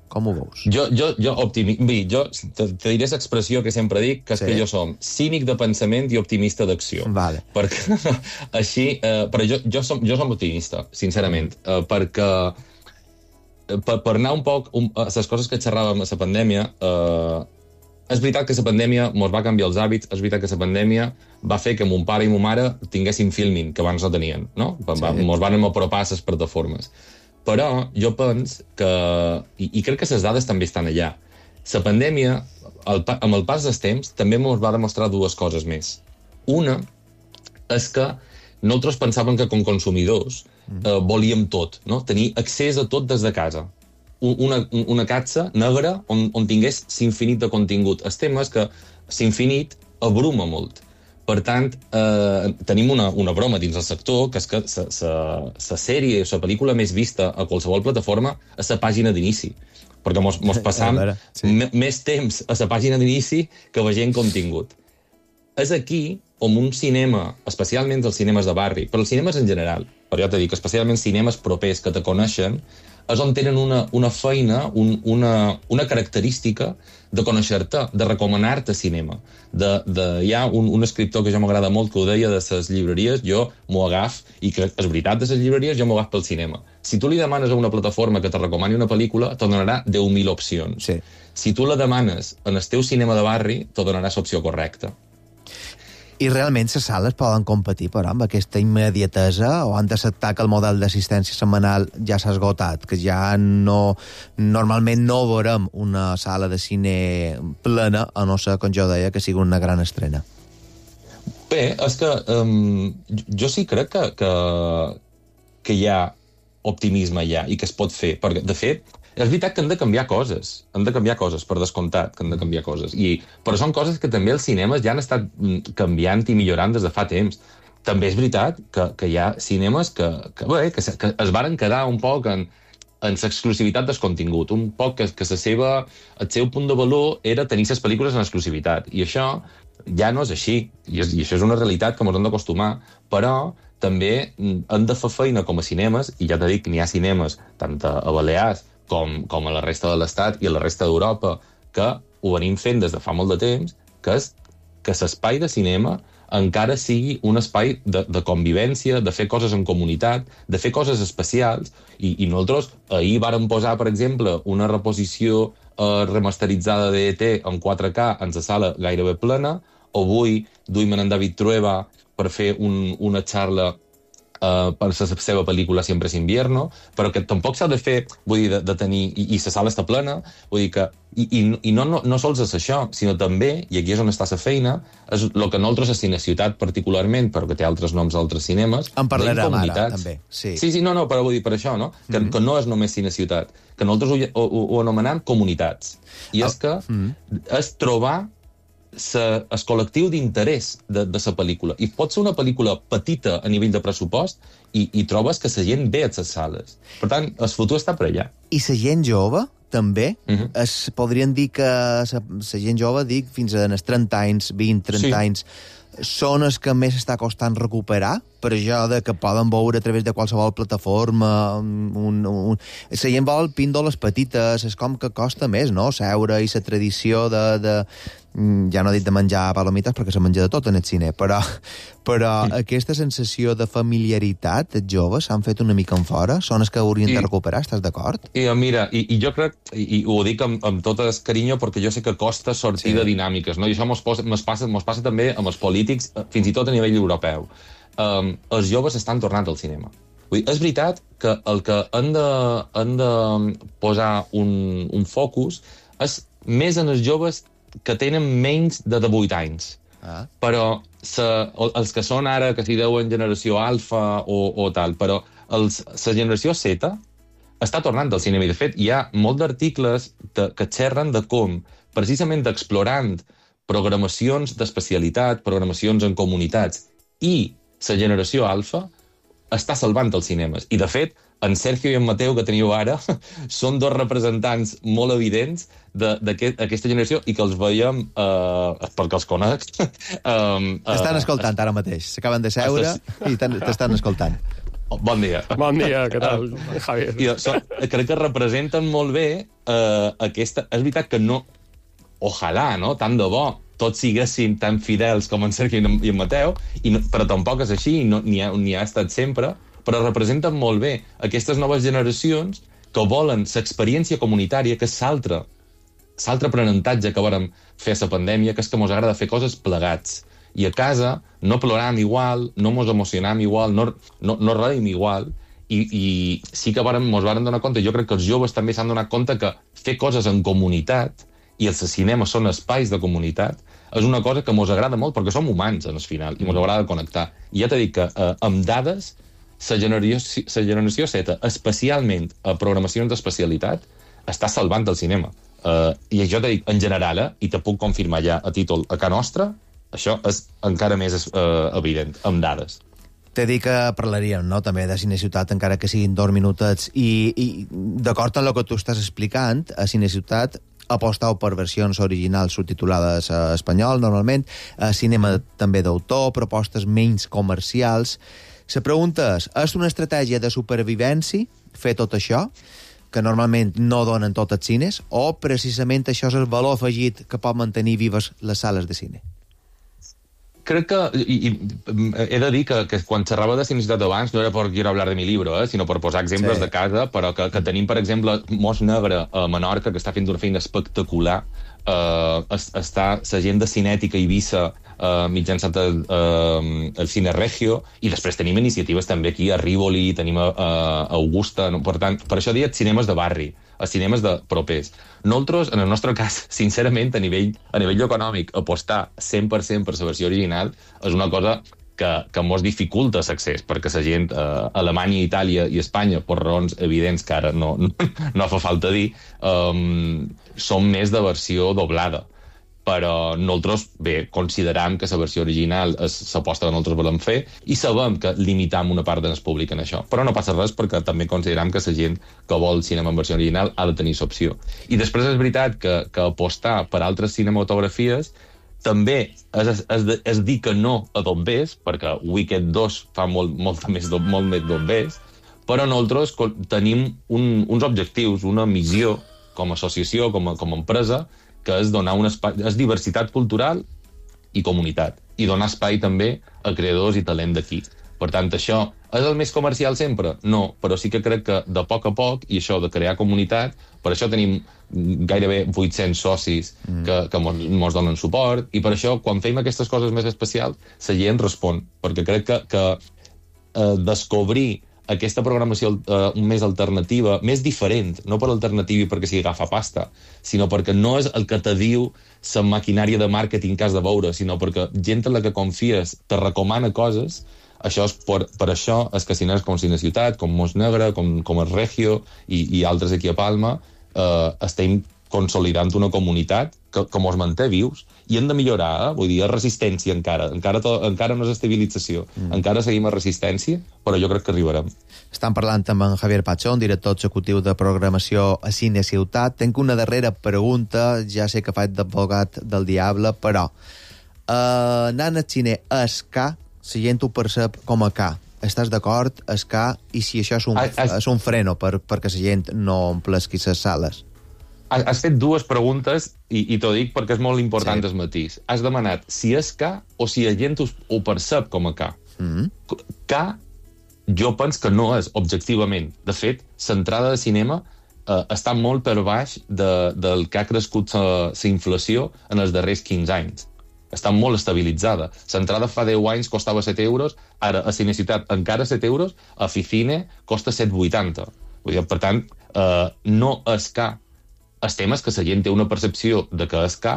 Com ho veus? Jo, jo, jo, optimi... Bé, jo te, te diré l'expressió que sempre dic, que és sí. que jo som cínic de pensament i optimista d'acció. Vale. Perquè així... Eh, però jo, jo, som, jo som optimista, sincerament, eh, perquè per, per anar un poc um, a les coses que xerràvem a la pandèmia, eh, és veritat que la pandèmia ens va canviar els hàbits, és veritat que la pandèmia va fer que mon pare i mon mare tinguessin filming, que abans no tenien, no? Sí. Ens van apropar a les plataformes. Però jo penso que, i, i crec que les dades també estan allà, la pandèmia, el, amb el pas dels temps, també ens va demostrar dues coses més. Una és que nosaltres pensàvem que com consumidors eh, volíem tot, no? Tenir accés a tot des de casa. Una, una catxa negra on, on tingués l'infinit de contingut. El tema és que l'infinit abruma molt. Per tant, eh, tenim una, una broma dins el sector, que és que la sèrie o la pel·lícula més vista a qualsevol plataforma és la pàgina d'inici. Perquè mos, mos passam veure, sí. més temps a la pàgina d'inici que veient contingut. És aquí on un cinema, especialment els cinemes de barri, però els cinemes en general, però ja t'he dit que especialment cinemes propers que te coneixen, és on tenen una, una feina, un, una, una característica de conèixer-te, de recomanar-te cinema. De, de, hi ha un, un escriptor que jo m'agrada molt, que ho deia de les llibreries, jo m'ho agaf, i que és veritat de les llibreries, jo m'ho agaf pel cinema. Si tu li demanes a una plataforma que te recomani una pel·lícula, te donarà deu mil opcions. Sí. Si tu la demanes en el teu cinema de barri, te donarà l'opció correcta. I realment les sales poden competir, però, amb aquesta immediatesa, o han d'acceptar que el model d'assistència setmanal ja s'ha esgotat, que ja no... Normalment no veurem una sala de cine plena, a no ser, com jo deia, que sigui una gran estrena. Bé, és que um, jo sí crec que, que, que hi ha optimisme allà i que es pot fer, perquè, de fet, és veritat que han de canviar coses, han de canviar coses, per descomptat que han de canviar coses, I, però són coses que també els cinemes ja han estat canviant i millorant des de fa temps. També és veritat que, que hi ha cinemes que, que, bé, que, que es varen quedar un poc en, en l'exclusivitat del contingut, un poc que, que la seva, el seu punt de valor era tenir les pel·lícules en exclusivitat, i això ja no és així, i, és, i això és una realitat que ens hem d'acostumar, però també hem de fer feina com a cinemes, i ja t'he dit que n'hi ha cinemes tant a Balears Com, com a la resta de l'Estat i a la resta d'Europa, que ho venim fent des de fa molt de temps, que és que l'espai de cinema encara sigui un espai de, de convivència, de fer coses en comunitat, de fer coses especials, i, i nosaltres ahir vàrem posar, per exemple, una reposició eh, remasteritzada d'E T en quatre K en la sala gairebé plena, o avui duim en David Trueba per fer un, una xarla Uh, per la seva pel·lícula Siempre es invierno, però que tampoc s'ha de fer, vull dir, de, de tenir... I, i la sala està plena, vull dir que... I, i, i no, no, no sols és això, sinó també, i aquí és on està la feina, és el que nosaltres a Cine Ciutat particularment, però que té altres noms a altres cinemes... En parlarem ara, també. Sí, sí, sí no, no, però vull dir per això, no? Que, mm-hmm. que no és només Cine Ciutat, que nosaltres ho, ho, ho anomenem comunitats. I és que mm-hmm. és trobar el col·lectiu d'interès de, de la pel·lícula. I pot ser una pel·lícula petita a nivell de pressupost i, i trobes que la gent ve a les sales. Per tant, el futur està per allà. I la gent jove també. Uh-huh. Es podrien dir que la gent jove, dic, fins a trenta anys, vint, trenta sí. anys, són els que més està costant recuperar, per això de que poden veure a través de qualsevol plataforma. Un, un... La gent vol píndoles petites, és com que costa més, no?, seure, i la tradició de... de... ja no he dit de menjar palomites perquè se menja de tot en el cine, però, però sí. aquesta sensació de familiaritat, els joves s'han fet una mica en fora, són els que haurien I, de recuperar, estàs d'acord? I, mira, i, i jo crec, i, i ho dic amb, amb tot el carinyo, perquè jo sé que costa sortir sí. de dinàmiques, no? I això mos, posa, mos, passa, mos passa també amb els polítics, fins i tot a nivell europeu. Um, els joves estan tornant al cinema. Vull dir, és veritat que el que han de, han de posar un, un focus és més en els joves que tenen menys de divuit anys. Ah. Però se, els que són ara, que s'hi deuen generació alfa o, o tal, però els, la generació Z està tornant al cinema. I, de fet, hi ha molts d'articles de, que xerren de com, precisament explorant programacions d'especialitat, programacions en comunitats, i la generació alfa està salvant els cinemes. I, de fet, en Sergio i en Mateu, que teniu ara, són dos representants molt evidents d'aquesta generació i que els veiem, eh, perquè els conec... Um, T'estan escoltant ara mateix. S'acaben de seure i t'estan escoltant. Bon dia. Bon dia, què tal, Javier? I, so, crec que representen molt bé eh, aquesta... És veritat que no... Ojalà, no? Tant de bo tots siguessin tan fidels com en Sergio i en Mateu, i no, però tampoc és així, no, ni, ha, ni ha estat sempre, però representen molt bé aquestes noves generacions que volen l'experiència comunitària, que és l'altre, l'altre aprenentatge que vàrem fer a la pandèmia, que és que mos agrada fer coses plegats. I a casa no ploram igual, no mos emocionam igual, no, no, no reim igual, i, i sí que vàrem, mos vàrem donar compte, jo crec que els joves també s'han donat compte que fer coses en comunitat, i els cinemes són espais de comunitat, és una cosa que mos agrada molt, perquè som humans, en el final, i mos agrada connectar. I ja t'he dit que eh, amb dades, la generació, la generació Z, especialment a programacions d'especialitat, està salvant el cinema. Uh, I això t'he dit, en general, eh, i te puc confirmar ja a títol a Can Nostra, això és encara més uh, evident, amb dades. T'he dit que parlaríem, no?, també de Cineciutat, encara que siguin dos minutets, i, i d'acord amb el que tu estàs explicant, a Cineciutat apostau per versions originals subtitulades a espanyol, normalment, a cinema també d'autor, propostes menys comercials. La pregunta és, és una estratègia de supervivència fer tot això, que normalment no donen tots els cines, o precisament això és el valor afegit que pot mantenir vives les sales de cine? Crec que, i, i he de dir que, que quan xerrava de Cineciutat abans no era per quiero hablar de mi libro, eh, sinó per posar exemples sí. de casa, però que, que tenim, per exemple, Mos Negre a Menorca, que està fent una feina espectacular, eh, està la gent de Cinètica a Eivissa eh, mitjançant el, eh, el Cine Regio, i després tenim iniciatives també aquí a Rivoli, tenim a, a Augusta, no? Per tant, per això dic cinemes de barri, a cinemes de propers. Nosaltres, en el nostre cas, sincerament, a nivell, a nivell econòmic, apostar cent per cent per la versió original és una cosa que, que mos dificulta l'accés, perquè la gent, eh, Alemanya, Itàlia i Espanya, per raons evidents que ara no, no, no fa falta dir, um, són més de versió doblada. Però nosaltres, bé, consideram que la versió original és l'aposta que nosaltres volem fer i sabem que limitam una part del públic en això. Però no passa res perquè també consideram que la gent que vol cinema en versió original ha de tenir l'opció. I després és veritat que, que apostar per altres cinematografies també és, és, és dir que no a Dombés, perquè Wicked dos fa molt, molt més, molt més Dombés, però nosaltres tenim un, uns objectius, una missió com a associació, com a, com a empresa, que és donar un espai, és diversitat cultural i comunitat, i donar espai també a creadors i talent d'aquí. Per tant, això és el més comercial sempre? No, però sí que crec que de poc a poc, i això de crear comunitat, per això tenim gairebé vuit-cents socis mm. que, que mos, mos donen suport, i per això, quan fem aquestes coses més especials, la gent respon, perquè crec que, que eh, descobrir aquesta programació uh, més alternativa, més diferent, no per alternativa i perquè s'hi agafa pasta, sinó perquè no és el que te diu la maquinària de màrqueting que has de veure, sinó perquè gent en la que confies te recomana coses, això és per, per això és que cines com Cineciutat, com Mos Negre, com, com el Regio i, i altres aquí a Palma, uh, estem consolidant una comunitat que, que mos manté vius, i hem de millorar, eh? Vull dir, és resistència encara, encara, to, encara no és estabilització, mm. encara seguim a resistència, però jo crec que arribarem. Estan parlant amb en Javier Pachón, director executiu de programació a Cine Ciutat. Tenc una darrera pregunta, ja sé que faig d'advocat del diable, però eh, anant al cine és K, la gent ho percep com a K. Estàs d'acord, és K, i si això és un, has, has... és un freno per, perquè la gent no omplesqui les sales? Has fet dues preguntes, i, i t'ho dic perquè és molt important sí. el matís. Has demanat si és K o si la gent ho, ho percep com a K. Mm-hmm. K, jo penso que no és, objectivament. De fet, l'entrada de cinema eh, està molt per baix de, del que ha crescut la inflació en els darrers quinze anys. Està molt estabilitzada. L'entrada fa deu anys costava set euros, ara a Cineciutat encara set euros, a Ficine costa set vuitanta. Per tant, eh, no és K. El tema és que la gent té una percepció de que és K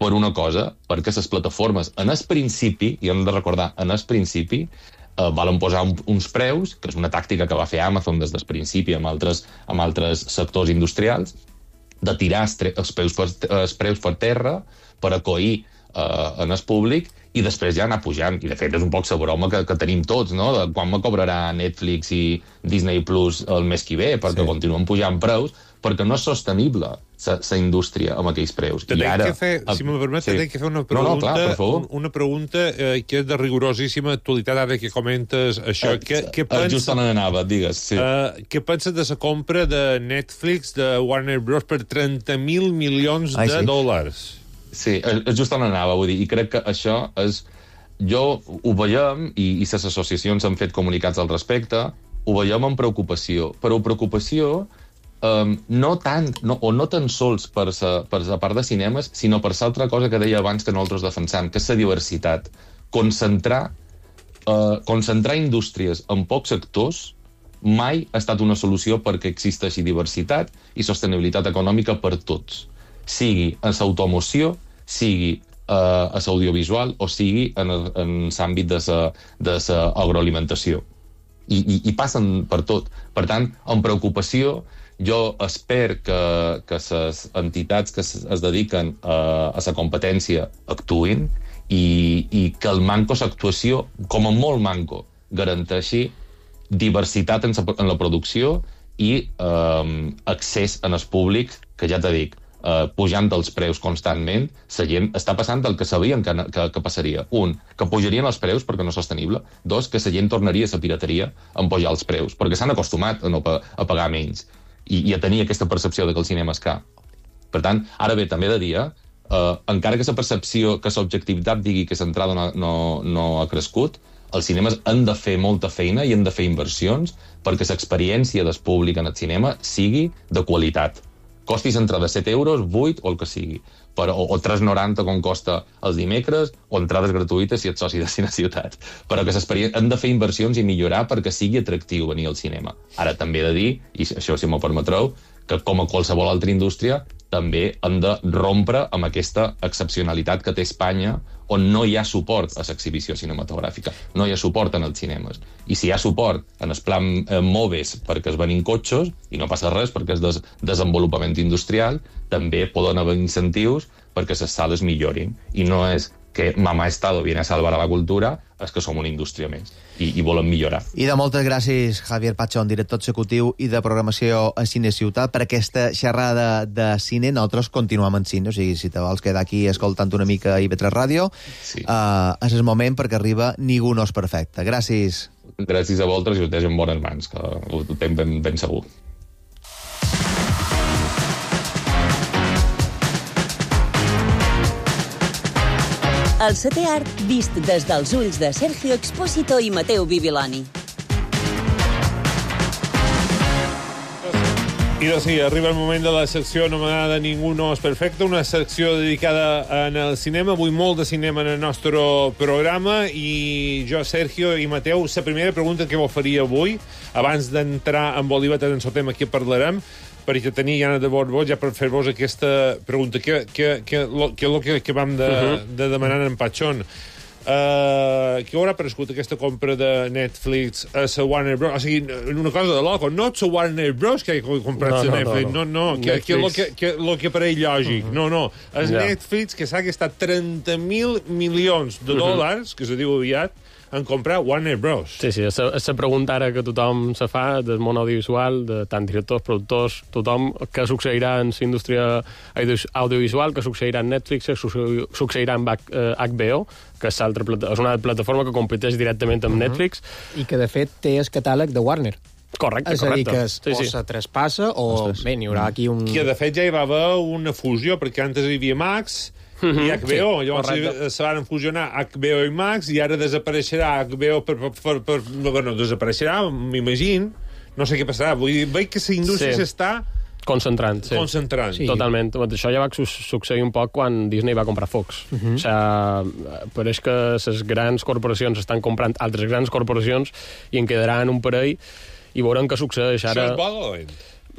per una cosa, perquè les plataformes, en el principi, i hem de recordar, en el principi, eh, volen posar un, uns preus, que és una tàctica que va fer Amazon des del principi amb altres, amb altres sectors industrials, de tirar els, els, preus, per, els preus per terra per acollir eh, en el públic i després ja anar pujant. I, de fet, és un poc la broma que, que tenim tots, no? De quan me cobrarà Netflix i Disney Plus el mes que ve, perquè sí. continuen pujant preus, perquè no és sostenible la indústria amb aquells preus. I ara, que fer, si me permet, sí. que fer una pregunta, no, no, clar, per favor. una pregunta eh, que és de rigorosíssima actualitat, ara que comentes això. Eh, què, què pensa, just on anava, digues. Sí. Eh, què penses de la compra de Netflix, de Warner Bros. Per trenta mil milions Ai, de sí. dòlars? Sí, és just on anava, vull dir, i crec que això és... Jo ho veiem, i, i les associacions han fet comunicats al respecte, ho veiem amb preocupació, però preocupació Um, no tant, no, o no tan sols per sa, per la part de cinemes, sinó per l'altra cosa que deia abans que nosaltres defensam, que és la diversitat. Concentrar, uh, concentrar indústries en pocs sectors mai ha estat una solució perquè existeixi diversitat i sostenibilitat econòmica per tots. Sigui en l'automoció, sigui uh, a l'audiovisual o sigui en, en l'àmbit de l'agroalimentació. I, i, I passen per tot. Per tant, amb preocupació, jo espero que, que les entitats que es, es dediquen a, a la competència actuïn i, i que el manco d'actuació, com a molt manco, garanteixi diversitat en, sa, en la producció i eh, accés en el públic, que ja t'he dit, eh, pujant els preus constantment, la gent està passant el que sabien que, que, que passaria. Un, que pujarien els preus perquè no és sostenible. Dos, que la gent tornaria a la pirateria en pujar els preus, perquè s'han acostumat a, no, a pagar menys. I, i a tenir aquesta percepció de que el cinema és car. Per tant, ara bé, també he de dir, eh, encara que la percepció, que l'objectivitat digui que l'entrada no, no, no ha crescut, els cinemes han de fer molta feina i han de fer inversions perquè l'experiència del públic en el cinema sigui de qualitat. Costis entre de set euros, vuit o el que sigui, però, o, o tres noranta com costa els dimecres, o entrades gratuïtes si ets soci de Cineciutat. Però que han de fer inversions i millorar perquè sigui atractiu venir al cinema. Ara també he de dir, i això si m'ho permetreu, que com a qualsevol altra indústria també han de rompre amb aquesta excepcionalitat que té Espanya, on no hi ha suport a l'exhibició cinematogràfica, no hi ha suport en els cinemes. I si hi ha suport en el plan eh, Moves perquè es venin cotxos, i no passa res perquè és des desenvolupament industrial, també poden haver incentius perquè les sales millorin. I no és que mamà Estado viene a salvar a la cultura, és que som una indústria més i, i volem millorar. I de moltes gràcies, Javier Pachón, director executiu i de programació a Cine Ciutat, per aquesta xerrada de cine. Nosaltres continuem en cine, o sigui, si te vols quedar aquí escoltant una mica a I V tres Ràdio, sí. uh, és el moment perquè arriba Ningú no és perfecte. Gràcies. Gràcies a vosaltres i us deixo en bones mans, que ho tenc ben, ben segur. El setè art vist des dels ulls de Sergio Expósito i Mateu Bibiloni. I doncs sí, arriba el moment de la secció anomenada Ningú no és perfecte, una secció dedicada en el cinema, avui molt de cinema en el nostre programa, i jo, Sergio i Mateu, la primera pregunta que vos faria avui, abans d'entrar en Bolívar, en el tema que parlarem, perquè tenia gana de vos ja per fer-vos aquesta pregunta, que, que, que, que, que, que vam de, uh -huh. de demanar en Pachón. Uh, que haurà prescut aquesta compra de Netflix a la Warner Bros? O sigui, una cosa de loco, no la Warner Bros que ha comprat no, no, Netflix, no, no, no que, que, lo que, que lo que pareix lògic, uh -huh. no, no, és yeah. Netflix que s'ha gastat trenta mil milions de dòlars, uh -huh. que se diu aviat, en comprar Warner Bros. Sí, sí, és la pregunta ara que tothom se fa del món audiovisual, de tant directors, productors, tothom, què succeirà en la indústria audiovisual, què succeirà en Netflix, què succeirà en H B O, que és, altra, és una plataforma que competeix directament amb uh -huh. Netflix. I que, de fet, té el catàleg de Warner. Correcte, és correcte. És a dir, que es, sí, o sí. se traspassa o... Ostres. Bé, n'hi haurà aquí un... Que, de fet, ja hi va haver una fusió, perquè antes hi havia Max... Mm-hmm. I H B O, sí, llavors se van fusionar H B O i Max i ara desapareixerà H B O per, per, per, per bueno, desapareixerà, m'imagino, no sé què passarà, vull dir, veig que la indústria s'està sí. concentrant, sí. concentrant. Sí. Totalment, això ja va succeir un poc quan Disney va comprar Fox. Uh-huh. O sigui, pareix que les grans corporacions estan comprant altres grans corporacions i en quedaran un parell i veurem què succeeix ara. Això és bo o dolent?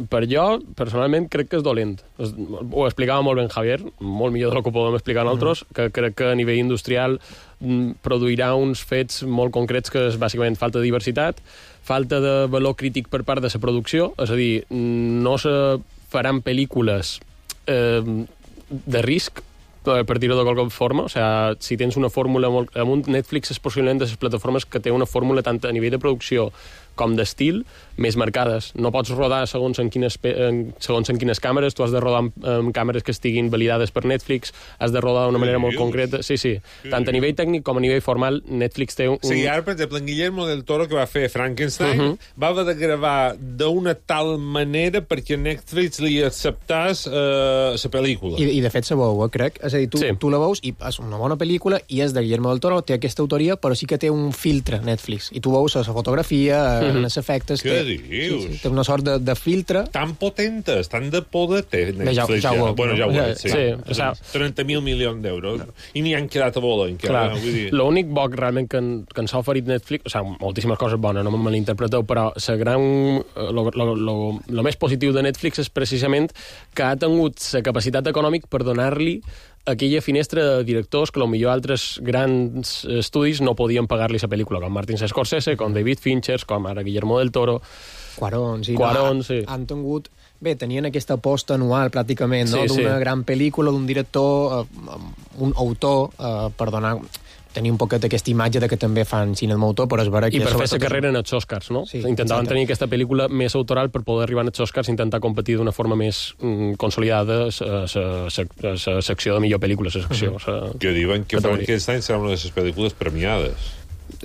Per jo, personalment, crec que és dolent. Ho explicava molt ben Javier, molt millor del que ho podem explicar nosaltres, mm. que crec que a nivell industrial produirà uns fets molt concrets que és bàsicament falta de diversitat, falta de valor crític per part de la producció, és a dir, no se faran pel·lícules eh, de risc per dir-ho de qualque forma, o sigui, si tens una fórmula molt... amb un Netflix és possiblement de les plataformes que té una fórmula tant a nivell de producció com d'estil, més marcades. No pots rodar segons en quines, segons en quines càmeres, tu has de rodar amb, amb càmeres que estiguin validades per Netflix, has de rodar d'una manera molt concreta. Sí, sí. Tant a nivell tècnic com a nivell formal, Netflix té un... Sí, ara, per exemple, en Guillermo del Toro, que va fer Frankenstein, uh -huh. va haver de gravar d'una tal manera perquè Netflix li acceptàs la uh, pel·lícula. I, I, de fet, se veu, crec. És a dir, tu, sí. tu la veus i és una bona pel·lícula i és de Guillermo del Toro, té aquesta autoria, però sí que té un filtre Netflix. I tu veus la fotografia, uh -huh. els efectes... Què té, dius? Sí, sí, té una sort de, de filtre. Tan potentes, tan de poder té Netflix. Ja, ja, ja ho, bueno, ja ho ja, és, sí. sí o sigui, trenta mil milions d'euros. No. I n'hi han quedat a vola encara. Clar, l'únic bo realment que, en, que ens ha oferit Netflix, o sigui, moltíssimes coses bones, no me malinterpreteu, però la gran... Lo, lo, lo, lo més positiu de Netflix és precisament que ha tingut la capacitat econòmica per donar-li aquella finestra de directors que potser altres grans estudis no podien pagar-li la pel·lícula, com Martin Scorsese, com David Fincher, com ara Guillermo del Toro. Cuarón, sí. Cuarón, no, sí. Han tingut... Bé, tenien aquesta aposta anual, pràcticament, no? Sí, d'una sí. gran pel·lícula, d'un director, eh, un autor, eh, per donar... tenir un poquet aquesta imatge de que també fan cine amb autor, però és vera que... I per fer la carrera en els Oscars, no? Sí, intentaven tenir aquesta pel·lícula més autoral per poder arribar als Oscars i intentar competir d'una forma més mm, consolidada la secció de millor pel·lícula, la secció. Uh-huh. Que diuen que Frankenstein serà una de les pel·lícules premiades.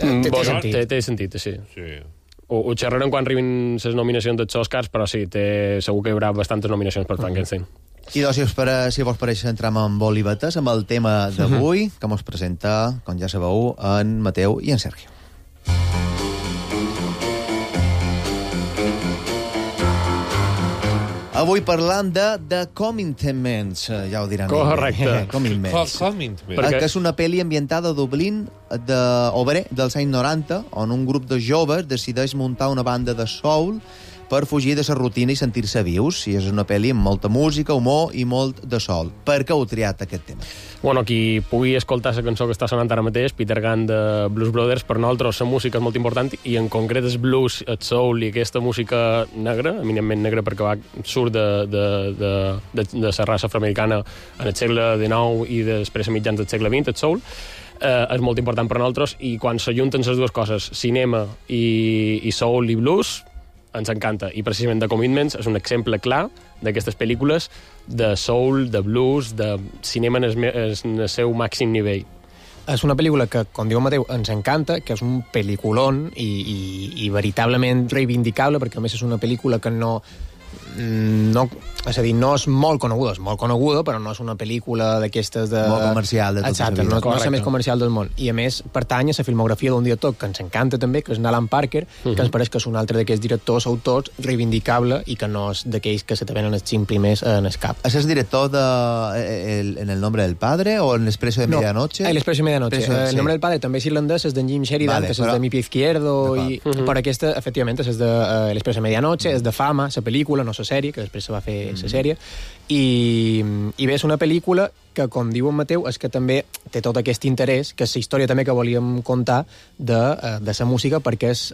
Mm, té, té, sentit. té, té sentit, sí. sí. Ho, ho xerrarem quan arribin les nominacions dels Oscars, però sí, té, segur que hi haurà bastantes nominacions per Frankenstein. Uh-huh. I doncs, si, us pare, si vos pareix, entrem amb olivetes, amb el tema d'avui, uh-huh. que mos presenta, com ja sabeu, en Mateu i en Sergio. Avui parlant de The Commitments, ja ho diran. Correcte. Commitments. Que és una pel·li ambientada a Dublín, de obrer, dels anys noranta, on un grup de joves decideix muntar una banda de soul per fugir de la rutina i sentir-se vius. I és una pel·li amb molta música, humor i molt de sol. Per què heu triat aquest tema? Bueno, qui pugui escoltar la cançó que està sonant ara mateix, Peter Gunn de Blues Brothers, per nosaltres la música és molt important i en concret el blues, el soul i aquesta música negra, eminentment negra perquè va, surt de, de, de, de, de la raça afroamericana en el segle dinou i després a mitjans del segle vint, el soul, eh, és molt important per nosaltres i quan s'ajunten les dues coses, cinema i, i soul i blues, ens encanta. I precisament The Commitments és un exemple clar d'aquestes pel·lícules de soul, de blues, de cinema en el, en el seu màxim nivell. És una pel·lícula que, com diu Mateu, ens encanta, que és un pel·liculón i, i, i veritablement reivindicable, perquè a més és una pel·lícula que no... no, és a dir, no és molt coneguda, és molt coneguda, però no és una pel·lícula d'aquestes de... Molt comercial de tota Exacte, la vida. No, no és la més comercial del món. I a més, pertany a la filmografia d'un director que ens encanta també, que és Alan Parker, uh-huh. que ens pareix que és un altre d'aquests directors, autors, reivindicable i que no és d'aquells que se te venen els cinc primers en el cap. ¿Es el director de el, En el nombre del padre o en El expreso de medianoche? No, El expreso de medianoche. Expreso, el sí. nombre del padre també és irlandès, és d'en Jim Sheridan, vale, que és però... de Mi pie izquierdo, i... uh-huh. però aquesta, efectivament, és de uh, El expreso de medianoche, uh-huh. és de Fama, la pel·lícula, pel·lícula, no la sèrie, que després se va fer la sèrie, i, i bé, és una pel·lícula que, com diu en Mateu, és que també té tot aquest interès, que és la història també que volíem contar de, de la música, perquè és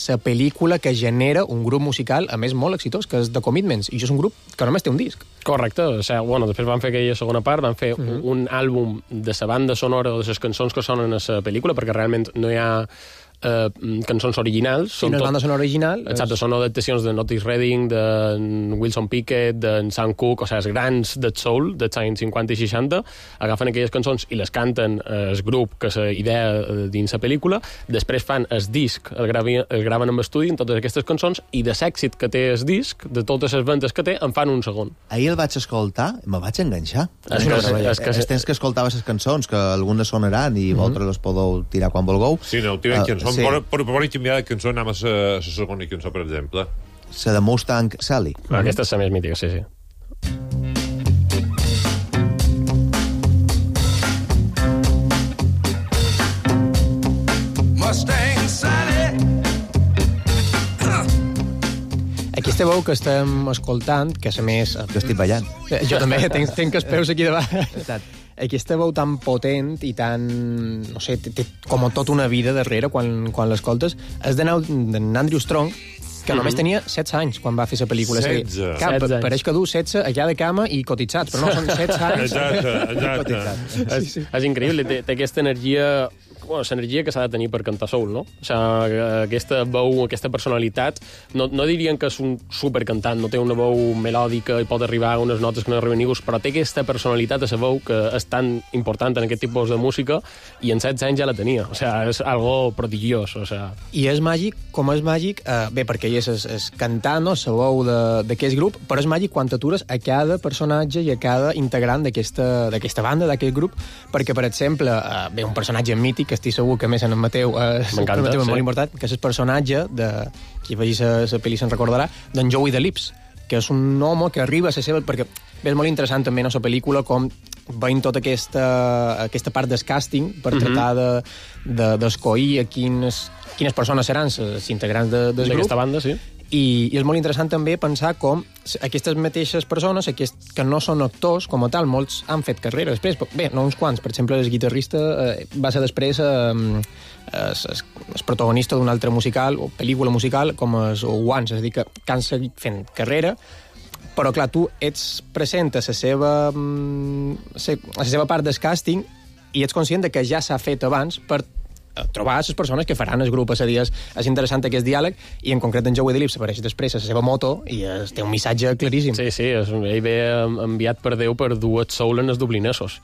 la pel·lícula que genera un grup musical, a més, molt exitós, que és The Commitments, i això és un grup que només té un disc. Correcte, o sigui, bueno, després van fer aquella segona part, van fer mm-hmm. un, un àlbum de la banda sonora o de les cançons que sonen a la pel·lícula, perquè realment no hi ha Uh, cançons originals. Sí, no és banda sonora original. Exacte, és... són adaptacions de Otis Redding, de Wilson Pickett, de Sam Cooke, o sigui, els grans del soul, dels anys cinquanta i seixanta, agafen aquelles cançons i les canten el grup, que és la idea dins la pel·lícula, després fan el disc, el, gravi, el graven amb estudi en totes aquestes cançons, i de l'èxit que té el disc, de totes les vendes que té, en fan un segon. Ahir el vaig escoltar, me vaig enganxar. És que, és, és que... Els temps que escoltava les cançons, que algunes sonaran i mm-hmm. vosaltres les podeu tirar quan vulgueu. Sí, no, tirem uh, cançons. Sí. Per, per, per canviar de cançó anem a la segona cançó, per exemple. La de Mustang Sally. Mm-hmm. Aquesta és la més mítica, sí, sí. Mustang Sally. Aquesta veu que estem escoltant, que a més... Que estic ballant. Jo també tenc, tenc els peus aquí davant. Aquesta veu tan potent i tan... no sé, té, té com tot una vida darrere quan, quan l'escoltes, és d'Andrew Strong, que només mm-hmm. tenia setze anys quan va fer la pel·lícula. setze. Cap, pareix que du setze allà de cama i cotitzats, però no, són setze anys. Exacte, exacte. és, és increïble, té, té aquesta energia... Bueno, l'energia que s'ha de tenir per cantar soul, no? O sigui, aquesta veu, aquesta personalitat, no, no dirien que és un supercantant, no té una veu melòdica i pot arribar a unes notes que no arriben ningú, però té aquesta personalitat a la veu que és tan important en aquest tipus de música i en setze anys ja la tenia. O sigui, és algo prodigiós. O sigui. I és màgic, com és màgic, eh, bé, perquè ell és, és, és cantant, no?, la veu d'aquest grup, però és màgic quan t'atures a cada personatge i a cada integrant d'aquesta banda, d'aquest grup, perquè, per exemple, eh, bé, un personatge mític, estic segur que més en en Mateu és eh, sí. molt sí. important, que és el personatge de qui vegi la pel·li se'n recordarà, d'en Joey the Lips, que és un home que arriba a la seva... perquè és molt interessant també en la pel·lícula com veient tota aquesta, aquesta part del càsting per mm-hmm. tratar d'escollir de, de, a quines, quines persones seran els integrants de, del grup. D'aquesta banda, sí. I, i és molt interessant també pensar com aquestes mateixes persones, aquest, que no són actors com a tal, molts han fet carrera després, bé, no uns quants, per exemple el guitarrista eh, va ser després eh, es, es, es protagonista d'un altre musical o pel·lícula musical com els Once, és a dir, que, que han seguit fent carrera, però clar, tu ets present a la seva, a la seva part del càsting i ets conscient de que ja s'ha fet abans per trobar les persones que faran el grup. És a dir, és, és interessant aquest diàleg i en concret en Joey the Lips apareix després a la seva moto i es, té un missatge claríssim. Sí, sí, és, ell ve enviat per Déu per dur el soul en els dublinesos,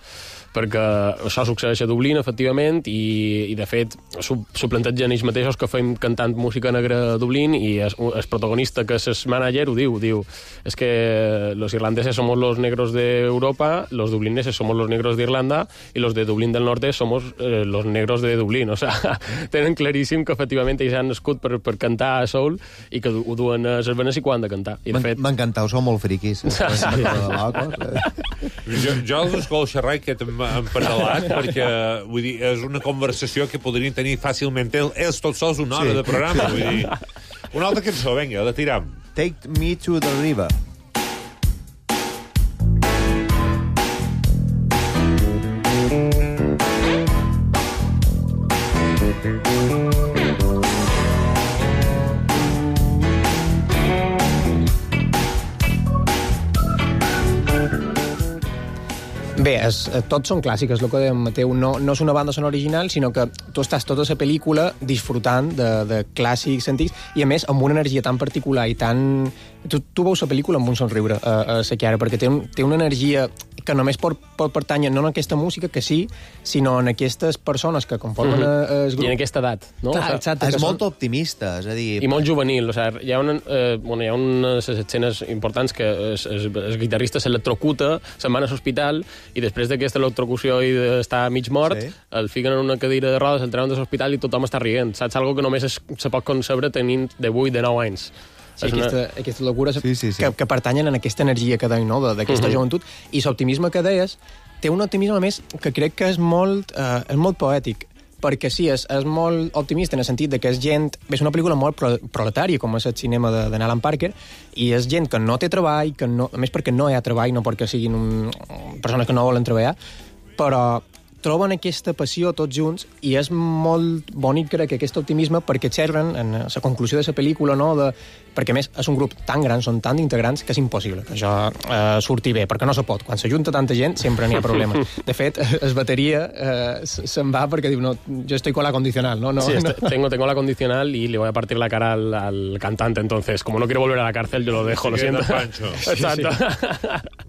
perquè això succeeix a Dublín, efectivament, i, i de fet s'ho plantegen ells mateixos que fem cantant música negra a Dublín i el, el protagonista, que és el manager, ho diu, diu, és que los irlandeses somos los negros de Europa, los dublineses somos los negros de Irlanda i los de Dublín del Norte somos eh, los negros de Dublín. O sigui, tenen claríssim que efectivament ells han nascut per, per cantar a soul i que ho duen a les venes i quan han de cantar. I de fet... M'encantau, sou molt friquis. jo, jo els escolto xerrar que han parlat, perquè vull dir, és una conversació que podrien tenir fàcilment ells tots sols una hora sí. de programa. Vull dir, una altra cançó, vinga, la tiram. Take Me to the River. Bé, és, tots són clàssics, el que deia Mateu. No, no és una banda sonora original, sinó que tu estàs tota la pel·lícula disfrutant de, de clàssics antics i, a més, amb una energia tan particular i tan... Tu, tu veus la pel·lícula amb un somriure a, a la Chiara, perquè té, un, té una energia que només pot, pot pertànyer no en aquesta música, que sí, sinó en aquestes persones que conformen mm-hmm. el grup. I en aquesta edat, no? Clar, exacte, és són... molt optimista, és a dir... I molt juvenil, o sigui, hi ha, una, eh, bueno, hi ha unes escenes importants que el guitarrista s'electrocuta, se'n van a l'hospital i després d'aquesta electrocució i d'estar mig mort, sí. el fiquen en una cadira de rodes, el treuen de l'hospital i tothom està rient. Saps? Algo que només es, se pot concebre tenint de vuit, de nou anys. Sí, aquesta, una... aquesta locura sí, sí, sí. Que, que pertanyen en aquesta energia que deia, no?, d'aquesta uh-huh. joventut. I l'optimisme que deies té un optimisme, a més, que crec que és molt, eh, és molt poètic, perquè sí, és, és molt optimista en el sentit de que és gent... És una pel·lícula molt pro, proletària, com és el cinema de, de Alan Parker, i és gent que no té treball, que no, a més perquè no hi ha treball, no perquè siguin un, persones que no volen treballar, però troben aquesta passió tots junts i és molt bonic, crec, aquest optimisme perquè xerren en la conclusió de la pel·lícula, no? De, perquè a més és un grup tan gran, són tan integrants que és impossible que això eh, surti bé, perquè no se pot. Quan s'ajunta tanta gent sempre n'hi ha problemes. De fet, es bateria eh, se'n va perquè diu, no, jo estoy con la condicional, ¿no? no sí, no. Tengo, tengo la condicional y le voy a partir la cara al, al cantante, entonces, como no quiero volver a la cárcel, yo lo dejo, lo siento. Exacto.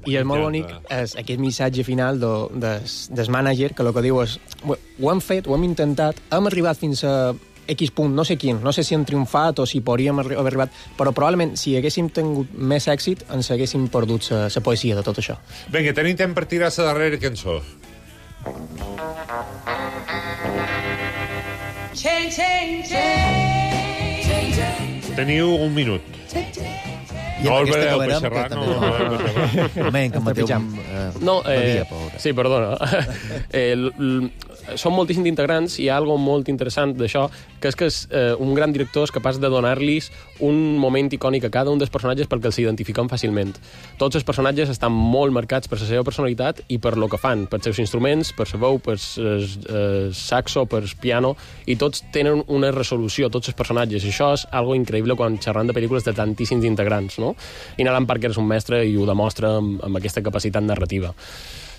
I és molt bonic és aquest missatge final do, des, des mànager, que el que diu és ho hem fet, ho hem intentat, hem arribat fins a X punt, no sé quin, no sé si hem triomfat o si podríem haver arribat, però probablement si haguéssim tingut més èxit ens haguéssim perdut la poesia de tot això. Vinga, tenim temps per tirar la darrera cançó. Teniu un minut. No el veureu per xerrar, no el veureu per xerrar. Moment, que Mateu... No, eh, sí, perdona. Eh, són moltíssims integrants i hi ha algo molt interessant d'això, que és que és, eh, un gran director és capaç de donar-los un moment icònic a cada un dels personatges perquè els s'identifiquen fàcilment. Tots els personatges estan molt marcats per la seva personalitat i per lo que fan, per seus instruments, per la veu, per el saxo, per el piano, i tots tenen una resolució, tots els personatges. I això és algo increïble quan xerram de pel·lícules de tantíssims integrants, no? I Alan Parker és un mestre i ho demostra amb, amb aquesta capacitat narrativa.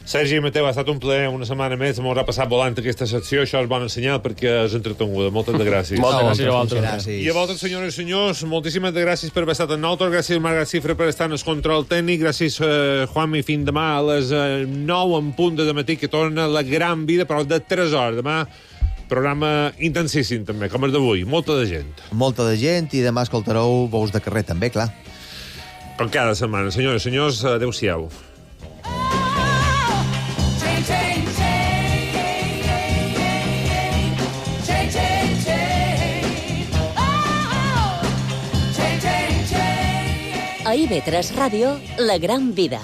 Sergi i Mateu, ha estat un plaer una setmana més, m'haurà passat volant aquesta secció, això és bon senyal perquè és entretenguda. Moltes de gràcies. Moltes gràcies a vosaltres. I a vosaltres, senyores i senyors, moltíssimes de gràcies per haver estat en nosaltres, gràcies Marga Cifra per estar en el control tècnic, gràcies eh, Juanmi, fin demà a les eh, nou en punt de matí, que torna la gran vida, però de tres hores. Demà programa intensíssim també, com el d'avui, molta de gent. Molta de gent i demà escoltareu Veus de carrer també, clar. Com cada setmana. Senyores i senyors, adeu-siau. A I V tres Ràdio, La Gran Vida.